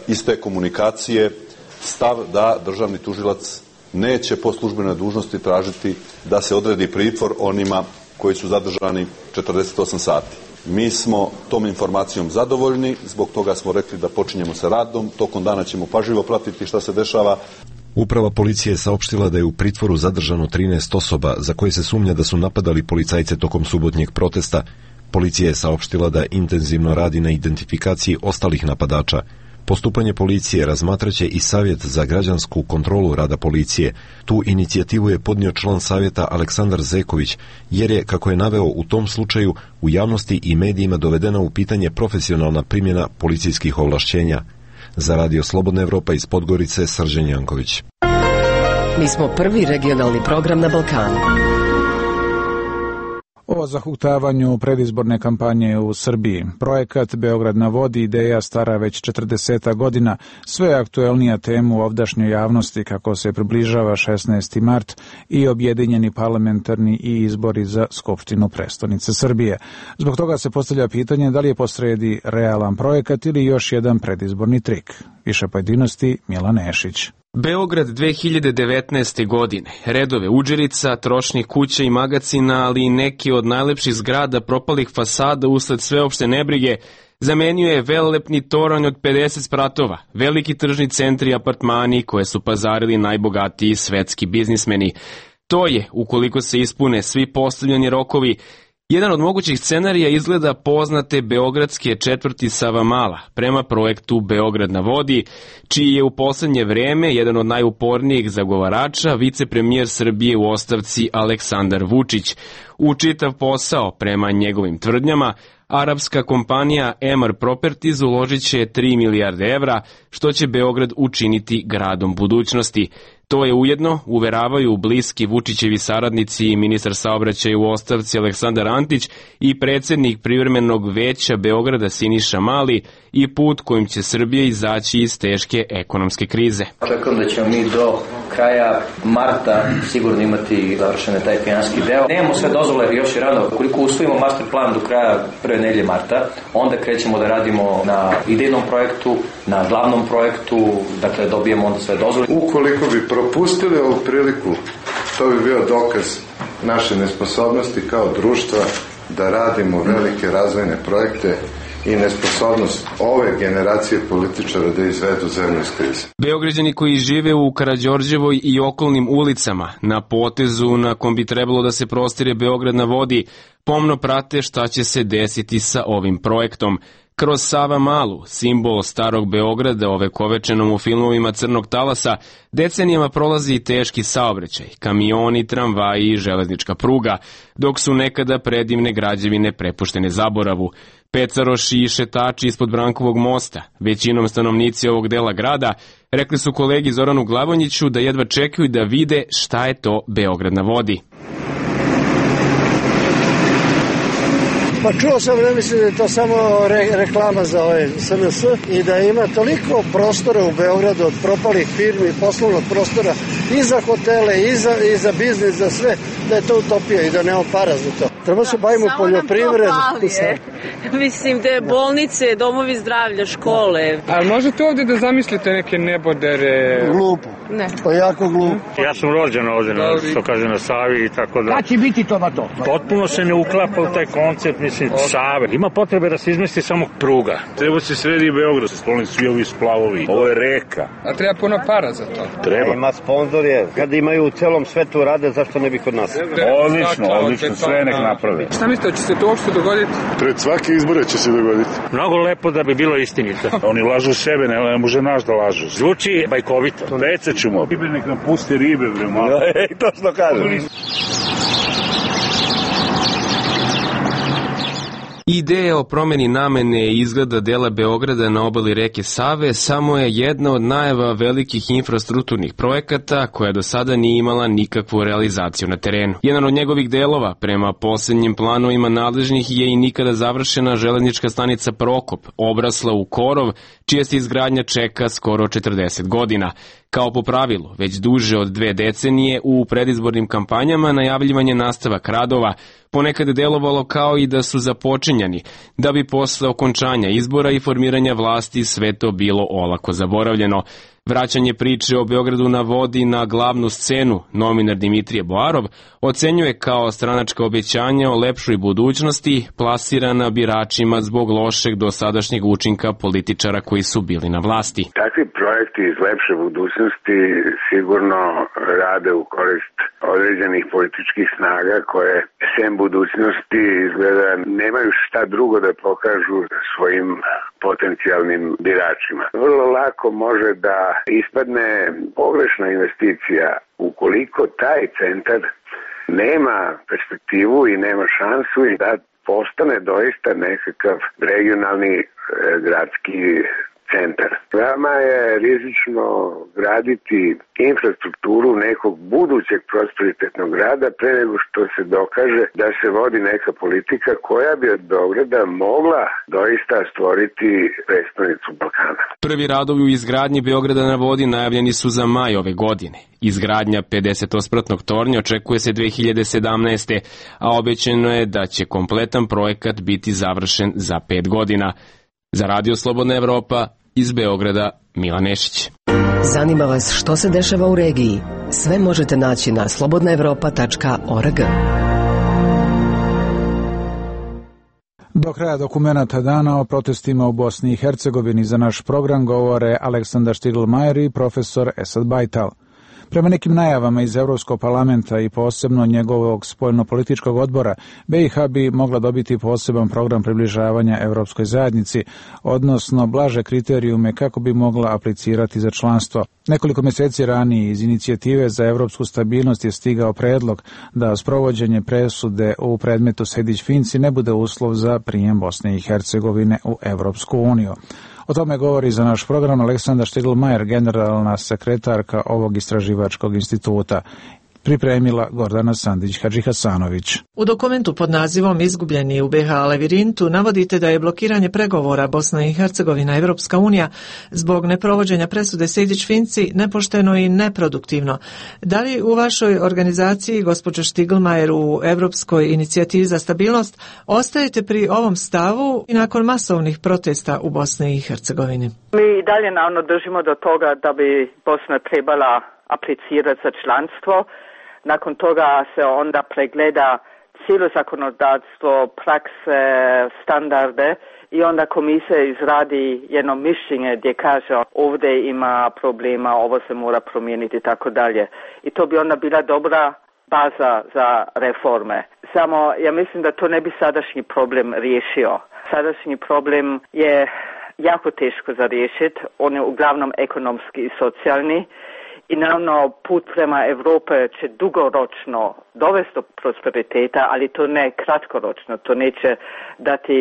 iz te komunikacije stav da državni tužilac neće po službenoj dužnosti tražiti da se odredi pritvor onima koji su zadržani 48 sati. Mi smo tom informacijom zadovoljni, zbog toga smo rekli da počinjemo sa radom, tokom dana ćemo pažljivo pratiti šta se dešava. Uprava policije je saopštila da je u pritvoru zadržano 13 osoba za koje se sumnja da su napadali policajce tokom subotnjeg protesta. Policija je saopštila da intenzivno radi na identifikaciji ostalih napadača. Postupanje policije razmatraće i Savjet za građansku kontrolu rada policije. Tu inicijativu je podnio član savjeta Aleksandar Zeković, jer je, kako je naveo u tom slučaju, u javnosti i medijima dovedena u pitanje profesionalna primjena policijskih ovlašćenja. Za Radio Slobodna Evropa iz Podgorice, Srđan Janković. Mi smo prvi regionalni program na Balkanu. O zahuktavanju predizborne kampanje u Srbiji. Projekat Beograd na vodi, ideja stara već 40 godina, sve aktuelnija tema u ovdašnjoj javnosti kako se približava 16. mart i objedinjeni parlamentarni i izbori za Skupštinu prestonice Srbije. Zbog toga se postavlja pitanje da li je posredi realan projekat ili još jedan predizborni trik. Više pojedinosti Milan Nešić. Beograd 2019. godine. Redove udžerica, trošnih kuća i magacina, ali i neki od najlepših zgrada propalih fasada usled sveopšte nebrige, zamenio je velelepni toranj od 50 spratova, veliki tržni centri i apartmani koje su pazarili najbogatiji svetski biznismeni. To je, ukoliko se ispune svi postavljeni rokovi, jedan od mogućih scenarija izgleda poznate beogradske četvrti Savamala prema projektu Beograd na vodi, čiji je u poslednje vreme jedan od najupornijih zagovarača vicepremijer Srbije u ostavci Aleksandar Vučić. U čitav posao, prema njegovim tvrdnjama, arapska kompanija Emar Properties uložit će 3 milijarde evra, što će Beograd učiniti gradom budućnosti. To je ujedno, uveravaju bliski Vučićevi saradnici i ministar saobraćaja u ostavci Aleksandar Antić i predsjednik privremenog veća Beograda Siniša Mali i put kojim će Srbija izaći iz teške ekonomske krize. Očekujem da ćemo mi do kraja marta sigurno imati završene taj finanski deo. Nemamo sve dozvole još i rano. Koliko usvojimo master plan do kraja prve nedelje marta, onda krećemo da radimo na idejnom projektu, na glavnom projektu, dakle dobijemo onda sve dozvole. Ukoliko bi propustili ovu priliku, to bi bio dokaz naše nesposobnosti kao društva da radimo velike razvojne projekte i nesposobnost ove generacije političara da izvedu zemlju iz krize. Beograđani koji žive u Karađorđevoj i okolnim ulicama, na potezu na kom bi trebalo da se prostire Beograd na vodi, pomno prate šta će se desiti sa ovim projektom. Kroz Savamalu, simbol starog Beograda ovekovečenom u filmovima Crnog talasa, decenijama prolazi i teški saobraćaj, kamioni, tramvaji i železnička pruga, dok su nekada predivne građevine prepuštene zaboravu. Pecaroši i šetači ispod Brankovog mosta, većinom stanovnici ovog dela grada, rekli su kolegi Zoranu Glavonjiću da jedva čekaju da vide šta je to Beograd na vodi. Pa čuo sam, ne mislim da je to samo reklama za ovaj SNS i da ima toliko prostora u Beogradu od propalih firmi, poslovnog prostora i za hotele, i za biznis, za sve, da je to utopija i da nema para za to. Treba se bavimo poljoprivredu. Mislim da je bolnice, domovi zdravlja, škole. A možete ovdje da zamislite neke nebodere? Glupo. Ne. Pa jako glupo. Ja sam rođen ovdje, što kaže, na Savi i tako da. Kad će biti to na to? Potpuno se ne uklapa u taj koncept, mislim, Save. Ima potrebe da se izmesti samo pruga. Treba se sredi i Beograd, se skloni svi ovi splavovi. Ovo je reka. A treba puno para za to. Treba. Ima sponzorje. Kad imaju u celom svetu rade, zašto ne bi kod nas? Odlično, sve nek napravi. Šta mislite, će se to uopšte dogoditi? Pred svake izbore će se dogoditi. Mnogo lepo da bi bilo istinito. Oni lažu sebe, ne može naš da lažu. Zvuči bajkovito. Pecat ćemo. Ribe nek nam puste ribe, bre, malo. To što kažem. Ideja o promjeni namene i izgleda dela Beograda na obali reke Save samo je jedna od najava velikih infrastrukturnih projekata koja do sada nije imala nikakvu realizaciju na terenu. Jedan od njegovih delova, prema posljednjim planovima nadležnih, je i nikada završena železnička stanica Prokop, obrasla u korov, čija se izgradnja čeka skoro 40 godina. Kao po pravilu, već duže od 2 decenije u predizbornim kampanjama najavljivanje nastavak radova ponekad je delovalo kao i da su započinjani, da bi posle okončanja izbora i formiranja vlasti sve to bilo olako zaboravljeno. Vraćanje priče o Beogradu na vodi na glavnu scenu novinar Dimitrije Boarov ocenjuje kao stranačka obećanja o lepšoj budućnosti plasirana biračima zbog lošeg dosadašnjeg učinka političara koji su bili na vlasti. Takvi projekti iz lepše budućnosti sigurno rade u korist određenih političkih snaga koje sem budućnosti izgleda nemaju šta drugo da pokažu svojim potencijalnim biračima. Vrlo lako može da ispadne pogrešna investicija ukoliko taj centar nema perspektivu i nema šansu i da postane doista nekakav regionalni gradski centar. Veoma je rizično graditi infrastrukturu nekog budućeg prosperitetnog grada pre nego što se dokaže da se vodi neka politika koja bi od Beograda mogla doista stvoriti prestonicu Balkana. Prvi radovi u izgradnji Beograda na vodi najavljeni su za maj ove godine. Izgradnja 50-spratnog tornja očekuje se 2017. a obećano je da će kompletan projekat biti završen za 5 godina. Za Radio Slobodna Evropa, iz Beograda, Milan Nešić. Zanima vas što se dešava u regiji? Sve možete naći na slobodnaevropa.org. Do kraja dokumenata dana o protestima u Bosni i Hercegovini za naš program govore Aleksandar Štiglmajer i profesor Esad Bajtal. Prema nekim najavama iz Evropskog parlamenta i posebno njegovog spoljnopolitičkog odbora, BiH bi mogla dobiti poseban program približavanja Evropskoj zajednici, odnosno blaže kriterijume kako bi mogla aplicirati za članstvo. Nekoliko mjeseci ranije iz inicijative za evropsku stabilnost je stigao predlog da sprovođenje presude u predmetu Sejdić-Finci ne bude uslov za prijem Bosne i Hercegovine u Evropsku uniju. O tome govori za naš program Aleksandar Štiglmajer, generalna sekretarka ovog istraživačkog instituta. Pripremila Gordana Sandić-Hadžihasanović. U dokumentu pod nazivom Izgubljeni u BiH lavirintu navodite da je blokiranje pregovora Bosna i Hercegovina Evropska unija zbog neprovođenja presude Sejdić-Finci nepošteno i neproduktivno. Da li u vašoj organizaciji, gospođo Štiglmajer, u Evropskoj inicijativi za stabilnost, ostajete pri ovom stavu i nakon masovnih protesta u Bosni i Hercegovini? Mi i dalje naravno držimo do toga da bi Bosna trebala aplicirati za članstvo. Nakon toga se onda pregleda cijelo zakonodavstvo, prakse, standarde i onda komisija izradi jedno mišljenje gdje kaže ovdje ima problema, ovo se mora promijeniti i tako dalje. I to bi onda bila dobra baza za reforme. Samo ja mislim da to ne bi sadašnji problem riješio. Sadašnji problem je jako teško za riješiti. On je uglavnom ekonomski i socijalni. I naravno put prema Europe će dugoročno dovesti do prosperiteta, ali to ne kratkoročno. To neće dati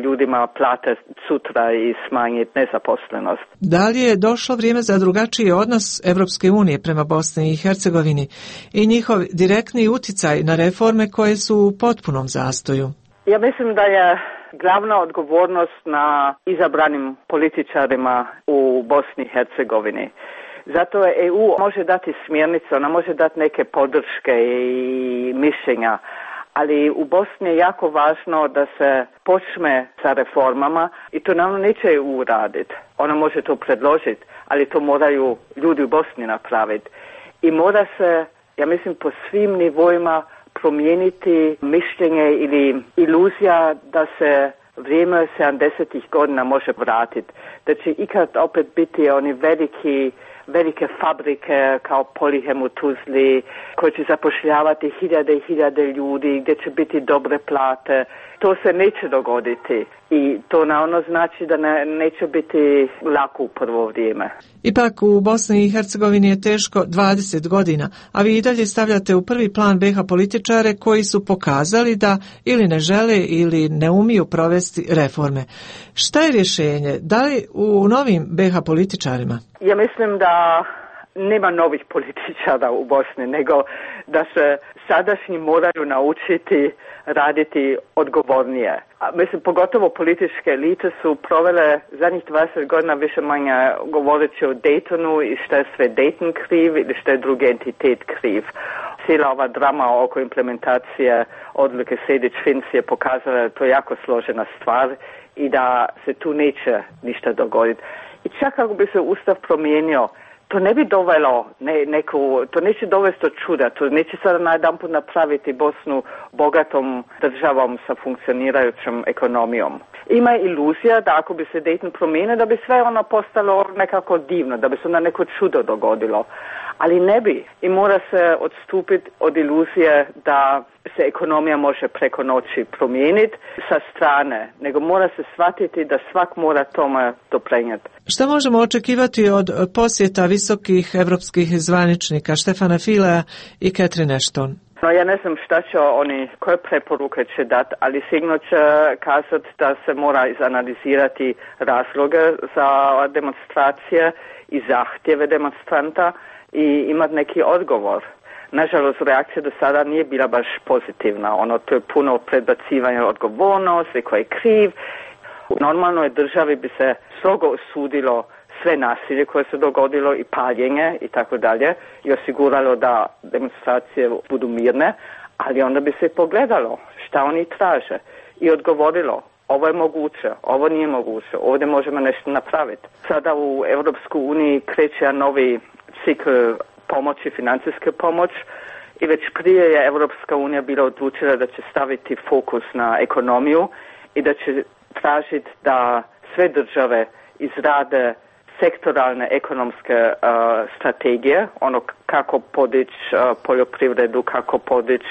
ljudima plate sutra i smanjiti nezaposlenost. Da li je došlo vrijeme za drugačiji odnos Evropske unije prema Bosni i Hercegovini i njihov direktni uticaj na reforme koje su u potpunom zastoju? Ja mislim da je glavna odgovornost na izabranim političarima u Bosni i Hercegovini. Zato je EU može dati smjernice, ona može dati neke podrške i mišljenja, ali u Bosni je jako važno da se počne sa reformama i to naravno neće EU raditi. Ona može to predložiti, ali to moraju ljudi u Bosni napraviti. I mora se, ja mislim, po svim nivoima promijeniti mišljenje ili iluzija da se vrijeme 70-ih godina može vratiti. Da će ikad opet biti oni velike fabrike kao Polihem u Tuzli koji će zapošljavati hiljade i hiljade ljudi, gdje će biti dobre plate. To se neće dogoditi i to naravno znači da neće biti lako u prvo vrijeme. Ipak u Bosni i Hercegovini je teško 20 godina, a vi i dalje stavljate u prvi plan BiH političare koji su pokazali da ili ne žele ili ne umiju provesti reforme. Šta je rješenje? Da li u novim BiH političarima? Ja mislim da nema novih političara u Bosni, nego da se sadašnji moraju naučiti raditi odgovornije. Mislim, pogotovo političke elite su provele zadnjih 20 godina više manje govoreći o Daytonu i što je sve Dayton kriv ili što je drugi entitet kriv. Cijela ova drama oko implementacije odluke Sejdić-Finci je pokazala da je to jako složena stvar i da se tu neće ništa dogoditi. I čak kako bi se Ustav promijenio, to ne bi dovelo to neće dovesti do čuda, to neće sada najedanput napraviti Bosnu bogatom državom sa funkcionirajućom ekonomijom. Ima iluzija da ako bi se Dayton promijenio, da bi sve ono postalo nekako divno, da bi se onda neko čudo dogodilo. Ali ne bi. I mora se odstupiti od iluzije da se ekonomija može preko noći promijeniti sa strane, nego mora se shvatiti da svak mora tome doprinijeti. Šta možemo očekivati od posjeta visokih evropskih zvaničnika Štefana Filea i Catherine Ashton? No, ja ne znam šta će oni, koje preporuke će dati, ali sigurno će kazati da se mora izanalizirati razloge za demonstracije i zahtjeve demonstranta i imati neki odgovor. Nažalost, reakcija do sada nije bila baš pozitivna. To je puno predbacivanja odgovornosti, ko je kriv. U normalnoj državi bi se strogo osudilo sve nasilje koje se dogodilo i paljenje i tako dalje i osiguralo da demonstracije budu mirne, ali onda bi se pogledalo šta oni traže i odgovorilo ovo je moguće, ovo nije moguće, ovdje možemo nešto napraviti. Sada u Europskoj uniji kreće novi cikl pomoći, financijske pomoć i već prije je Europska unija bila odlučila da će staviti fokus na ekonomiju i da će tražiti da sve države izrade sektoralne ekonomske strategije, kako podići poljoprivredu, kako podići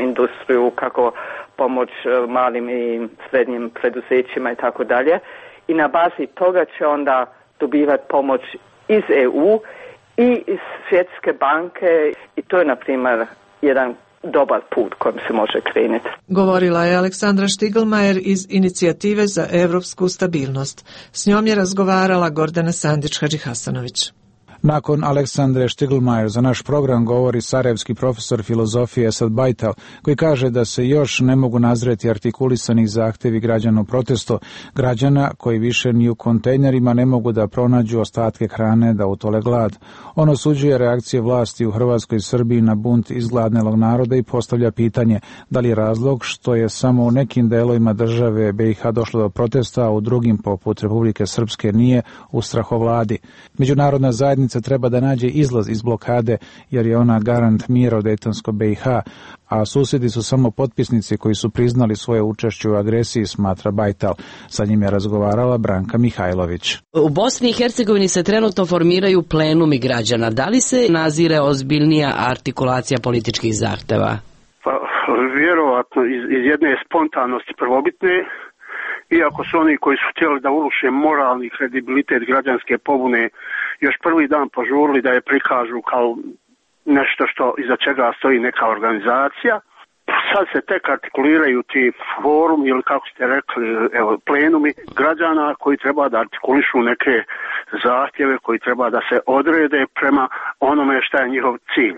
industriju, kako pomoć malim i srednjim preduzećima i tako dalje. I na bazi toga će onda dobivati pomoć iz EU i iz Svjetske banke i to je, na primjer, jedan dobar put kojim se može krenuti. Govorila je Aleksandra Štiglmajer iz Inicijative za evropsku stabilnost. S njom je razgovarala Gordana Sandić-Hadžihasanović. Nakon Aleksandre Štiglmajer za naš program govori sarajevski profesor filozofije Esad Bajtal, koji kaže da se još ne mogu nazreti artikulisani zahtjevi građana u protestu, građana koji više ni u kontejnerima ne mogu da pronađu ostatke hrane da utole glad. On osuđuje reakcije vlasti u Hrvatskoj i Srbiji na bunt izgladnelog naroda i postavlja pitanje da li je razlog što je samo u nekim delovima države BiH došlo do protesta, a u drugim, poput Republike Srpske, nije, u strahovladi. Međunarodna zajednica treba da nađe izlaz iz blokade jer je ona garant mira u Dejtonskoj BiH, a susjedi su samo potpisnici koji su priznali svoje učešće u agresiji, smatra Bajtal. Sa njim je razgovarala Branka Mihajlović. U Bosni i Hercegovini se trenutno formiraju plenumi građana. Da li se nazire ozbiljnija artikulacija političkih zahteva? Pa, vjerovatno iz jedne spontanosti prvobitne, iako su oni koji su htjeli da uruše moralni kredibilitet građanske pobune još prvi dan požurili da je prikažu kao nešto što iza čega stoji neka organizacija. Sad se tek artikuliraju ti forum ili kako ste rekli, plenumi građana koji treba da artikulišu neke zahtjeve, koji treba da se odrede prema onome šta je njihov cilj.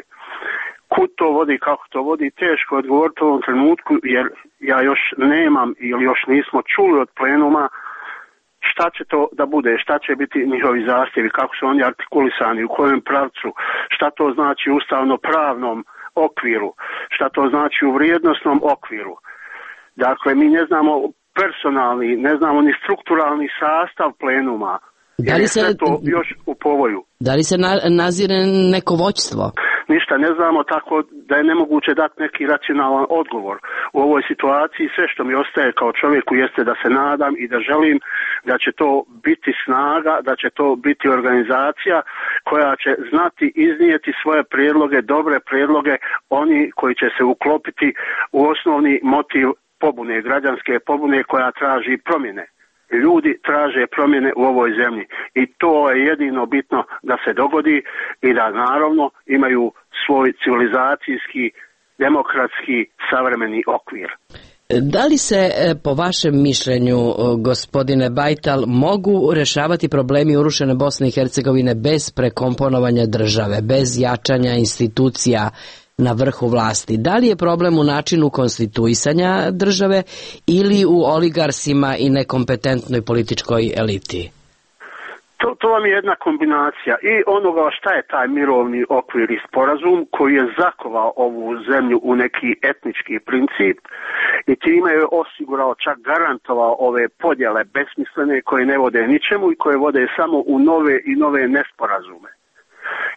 kud to vodi, kako to vodi, teško odgovoriti u ovom trenutku, jer ja još nemam ili još nismo čuli od plenuma šta će to da bude, šta će biti njihovi zahtjevi, kako su oni artikulisani, u kojem pravcu, šta to znači u ustavno-pravnom okviru, šta to znači u vrijednosnom okviru. Dakle, mi ne znamo personalni, ne znamo ni strukturalni sastav plenuma, jer je sve to još u povoju. Da li se nazire neko vođstvo? Ništa ne znamo, tako da je nemoguće dati neki racionalan odgovor u ovoj situaciji. Sve što mi ostaje kao čovjeku jeste da se nadam i da želim da će to biti snaga, da će to biti organizacija koja će znati iznijeti svoje prijedloge, dobre prijedloge, oni koji će se uklopiti u osnovni motiv pobune, građanske pobune koja traži promjene. Ljudi traže promjene u ovoj zemlji i to je jedino bitno da se dogodi i da naravno imaju svoj civilizacijski, demokratski, savremeni okvir. Da li se, po vašem mišljenju, gospodine Bajtal, mogu rješavati problemi urušene Bosne i Hercegovine bez prekomponovanja države, bez jačanja institucija na vrhu vlasti? Da li je problem u načinu konstituisanja države ili u oligarsima i nekompetentnoj političkoj eliti? To vam je jedna kombinacija i onoga šta je taj mirovni okvir i sporazum koji je zakovao ovu zemlju u neki etnički princip i time je osigurao, čak garantovao ove podjele besmislene koje ne vode ničemu i koje vode samo u nove i nove nesporazume.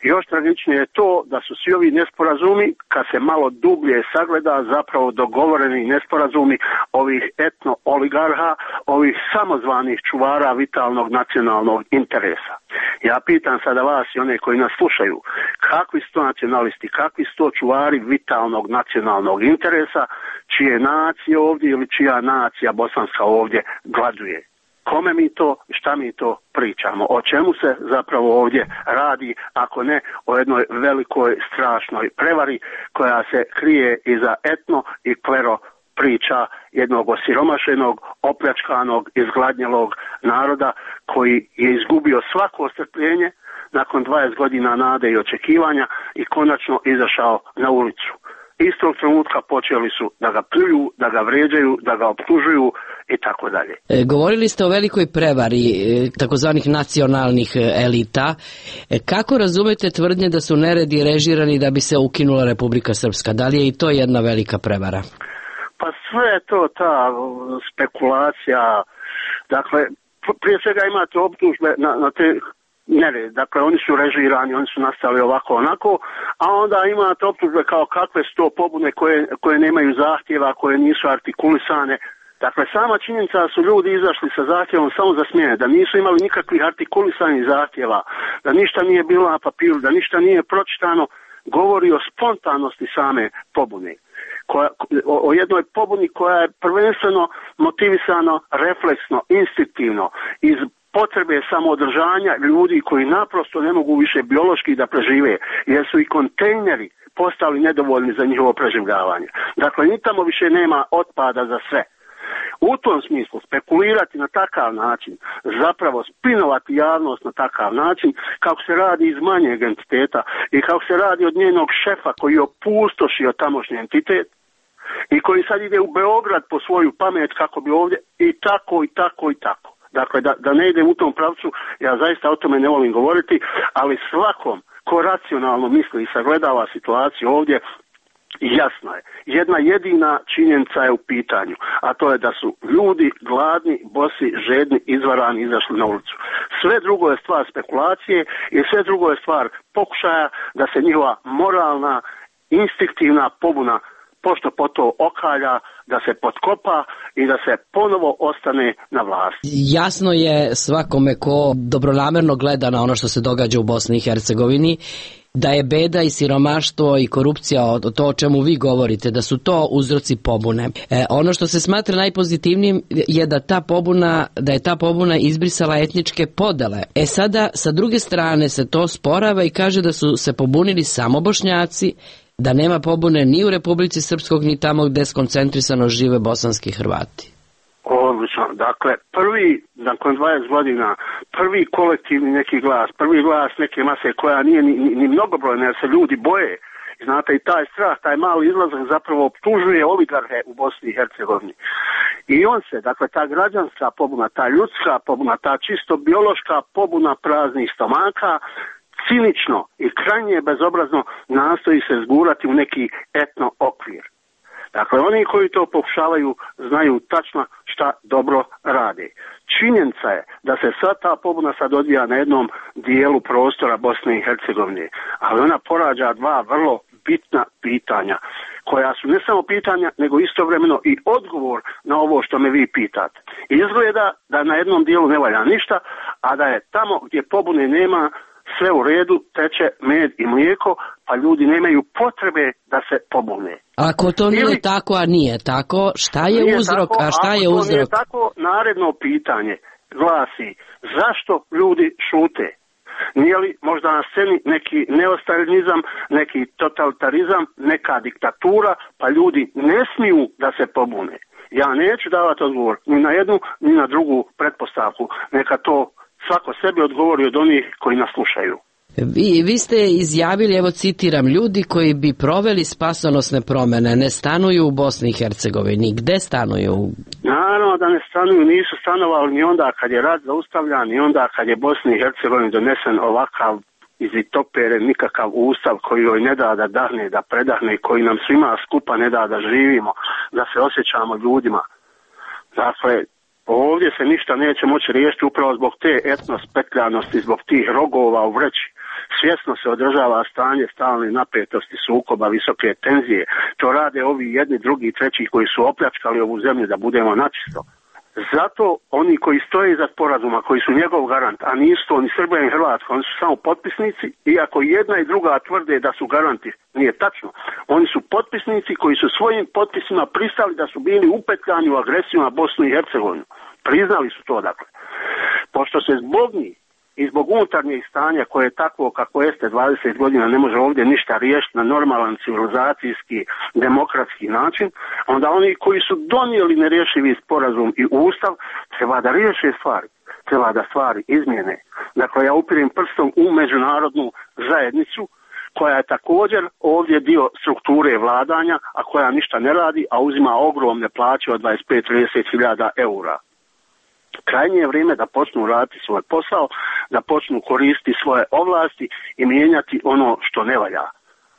Još tragičnije je to da su svi ovi nesporazumi, kad se malo dublje sagleda, zapravo dogovoreni nesporazumi ovih etno-oligarha, ovih samozvanih čuvara vitalnog nacionalnog interesa. Ja pitam sada vas i one koji nas slušaju, kakvi su to nacionalisti, kakvi su to čuvari vitalnog nacionalnog interesa, čije nacije ovdje ili čija nacija bosanska ovdje gladuje? Kome mi to, šta mi to pričamo? O čemu se zapravo ovdje radi, ako ne o jednoj velikoj strašnoj prevari koja se krije iza etno i klero priča jednog osiromašenog, opljačkanog, izgladnjelog naroda koji je izgubio svako strpljenje nakon 20 godina nade i očekivanja i konačno izašao na ulicu. Istog trenutka počeli su da ga pljuju, da ga vrijeđaju, da ga optužuju i tako dalje. Govorili ste o velikoj prevari takozvanih nacionalnih elita. Kako razumete tvrdnje da su neredi režirani da bi se ukinula Republika Srpska? Da li je i to jedna velika prevara? Pa sve je to ta spekulacija. Dakle, prije svega imate optužbe na te nered. Dakle, oni su režirani, oni su nastali ovako onako, a onda imate optužbe kao kakve su to pobune koje nemaju zahtjeva, koje nisu artikulisane. Dakle, sama činjenica da su ljudi izašli sa zahtjevom samo za smjene, da nisu imali nikakvih artikulisanih zahtjeva, da ništa nije bilo na papiru, da ništa nije pročitano, govori o spontanosti same pobune. O jednoj pobuni koja je prvenstveno motivisano, refleksno, instinktivno, iz potrebe samoodržanja ljudi koji naprosto ne mogu više biološki da prežive, jer su i kontejneri postali nedovoljni za njihovo preživljavanje. Dakle, ni tamo više nema otpada za sve. U tom smislu spekulirati na takav način, zapravo spinovati javnost na takav način, kako se radi iz manjeg entiteta i kako se radi od njenog šefa koji je opustošio tamošnji entitet i koji sad ide u Beograd po svoju pamet kako bi ovdje i tako i tako i tako. Dakle, da ne idem u tom pravcu, ja zaista o tome ne volim govoriti, ali svakom ko racionalno misli i sagledava situaciju ovdje, jasno je. Jedna jedina činjenica je u pitanju, a to je da su ljudi gladni, bosi, žedni, izvarani, izašli na ulicu. Sve drugo je stvar spekulacije i sve drugo je stvar pokušaja da se njihova moralna, instinktivna pobuna pošto poto okalja, da se potkopa i da se ponovo ostane na vlasti. Jasno je svakome ko dobronamerno gleda na ono što se događa u Bosni i Hercegovini, da je beda i siromaštvo i korupcija, to o čemu vi govorite, da su to uzroci pobune. Ono što se smatra najpozitivnijim je da je ta pobuna izbrisala etničke podele. Sada, sa druge strane, se to sporava i kaže da su se pobunili samo Bošnjaci, da nema pobune ni u Republici Srpskog, ni tamo gdje skoncentrisano žive bosanski Hrvati. Odlično. Dakle, nakon 20 godina, prvi kolektivni neki glas, prvi glas neke mase koja nije ni mnogobrojna, jer se ljudi boje I znate, i taj strah, taj mali izlazak zapravo optužuje oligarhe u Bosni i Hercegovini. I on se, dakle, ta građanska pobuna, ta ljudska pobuna, ta čisto biološka pobuna praznih stomaka, cinično i krajnje bezobrazno nastoji se zgurati u neki etno okvir. Dakle, oni koji to pokušavaju znaju tačno šta dobro rade. Činjenica je da se sad ta pobuna sad odvija na jednom dijelu prostora Bosne i Hercegovine, ali ona porađa dva vrlo bitna pitanja, koja su ne samo pitanja, nego istovremeno i odgovor na ovo što me vi pitate. Izgleda da na jednom dijelu ne valja ništa, a da je tamo gdje pobune nema sve u redu, teče med i mlijeko, pa ljudi nemaju potrebe da se pobune. Ako to nije tako, a nije tako, šta je uzrok, a šta je uzrok? Ako to nije tako, naredno pitanje glasi, zašto ljudi šute? Nije li možda na sceni neki neostalinizam, neki totalitarizam, neka diktatura, pa ljudi ne smiju da se pobune? Ja neću davati odgovor ni na jednu, ni na drugu pretpostavku. Neka to svako sebi odgovori od onih koji nas slušaju. Vi ste izjavili, evo citiram, ljudi koji bi proveli spasonosne promjene ne stanuju u Bosni i Hercegovini. Gde stanuju? Naravno da ne stanuju, nisu stanovali ni onda kad je rat zaustavljan, ni onda kad je Bosni i Hercegovini donesen ovakav iz Itopere nikakav ustav koji joj ne da da dahne, da predahne, koji nam svima skupa ne da da živimo, da se osjećamo ljudima. Dakle, ovdje se ništa neće moći riješiti upravo zbog te etnospetljanosti, zbog tih rogova u vreći. Svjesno se održava stanje stalne napetosti, sukoba, visoke tenzije. To rade ovi jedni, drugi, treći koji su opljačkali ovu zemlju, da budemo načisto. Zato oni koji stoje iza sporazuma, koji su njegov garant, a nisu to ni Srbija ni Hrvatska, oni su samo potpisnici, iako jedna i druga tvrde da su garanti, nije tačno. Oni su potpisnici koji su svojim potpisima pristali da su bili upetljani u agresiju na Bosnu i Hercegovinu. Priznali su to, dakle. Pošto se zbog njih i zbog unutarnjeg stanja koje je takvo kako jeste 20 godina ne može ovdje ništa riješiti na normalan civilizacijski, demokratski način, onda oni koji su donijeli nerješivi sporazum i ustav treba da riješe stvari, treba da stvari izmjene. Dakle, ja upirem prstom u međunarodnu zajednicu koja je također ovdje dio strukture vladanja, a koja ništa ne radi, a uzima ogromne plaće od 25-30 hiljada eura. Krajnje je vrijeme da počnu raditi svoj posao, da počnu koristiti svoje ovlasti i mijenjati ono što ne valja.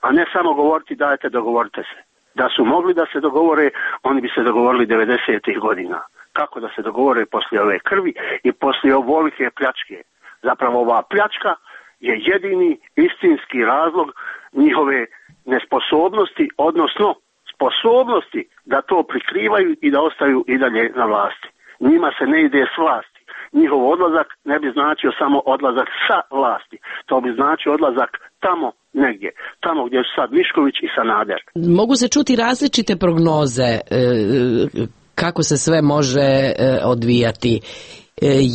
A ne samo govoriti dajte dogovorite se. Da su mogli da se dogovore, oni bi se dogovorili 90. godina. Kako da se dogovore poslije ove krvi i poslije ovolike pljačke? Zapravo ova pljačka je jedini istinski razlog njihove nesposobnosti, odnosno sposobnosti da to prikrivaju i da ostaju i dalje na vlasti. Njima se ne ide s vlasti. Njihov odlazak ne bi značio samo odlazak sa vlasti. To bi značio odlazak tamo negdje. Tamo gdje su sad Mišković i Sanader. Mogu se čuti različite prognoze kako se sve može odvijati.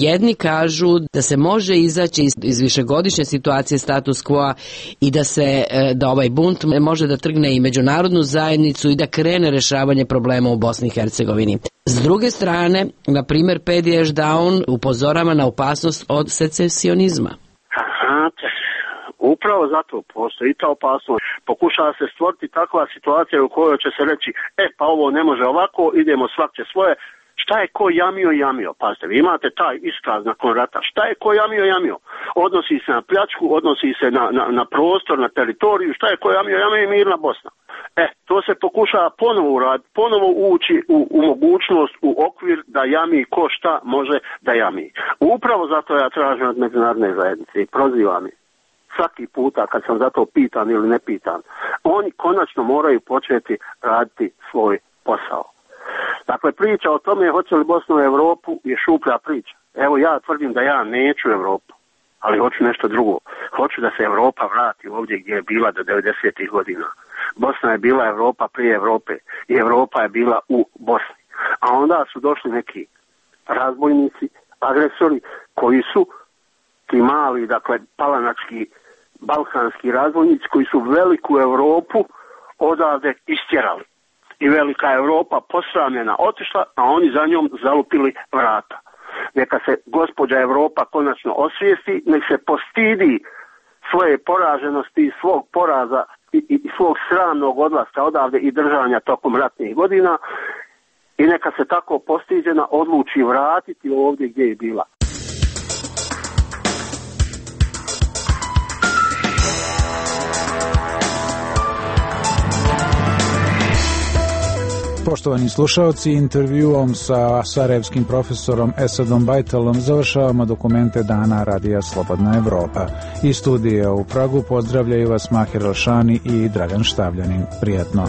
Jedni kažu da se može izaći iz višegodišnje situacije status quo i da ovaj bunt može da trgne i međunarodnu zajednicu i da krene rješavanje problema u Bosni i Hercegovini. S druge strane, na primjer, Pedi Ešdaun upozorava na opasnost od secesionizma. Upravo zato postoji ta opasnost. Pokušava se stvoriti takva situacija u kojoj će se reći pa ovo ne može ovako, idemo svak će svoje. Šta je ko jamio? Pazite, vi imate taj iskaz nakon rata. Šta je ko jamio? Odnosi se na pljačku, odnosi se na prostor, na teritoriju. Šta je ko jamio i mirna Bosna. To se pokušava ponovo uraditi, ponovo ući u mogućnost, u okvir da jami ko šta može da jami. Upravo zato ja tražim od međunarodne zajednice i prozivam ih. Svaki puta kad sam za to pitan ili ne pitan, oni konačno moraju početi raditi svoj posao. Dakle, priča o tome hoće li Bosna u Europu je šuplja priča. Evo ja tvrdim da ja neću Europu, ali hoću nešto drugo. Hoću da se Europa vrati ovdje gdje je bila do 90. godina. Bosna je bila Europa prije Europe i Europa je bila u Bosni. A onda su došli neki razbojnici, agresori koji su ti mali, dakle, palanački, balkanski razbojnici koji su veliku Europu odavde istjerali. I velika Europa posramljena otišla, a oni za njom zalupili vrata. Neka se gospođa Europa konačno osvijesti, nek se postidi svoje poraženosti i svog poraza i svog sramnog odlaska odavde i držanja tokom ratnih godina i neka se tako postiđena odluči vratiti ovdje gdje je bila. Poštovani slušalci, intervjuom sa sarajevskim profesorom Esadom Bajtalom završavamo dokumente dana Radija Slobodna Evropa. Iz studija u Pragu pozdravljaju vas Mahir Alšani i Dragan Štavljanin. Prijetno.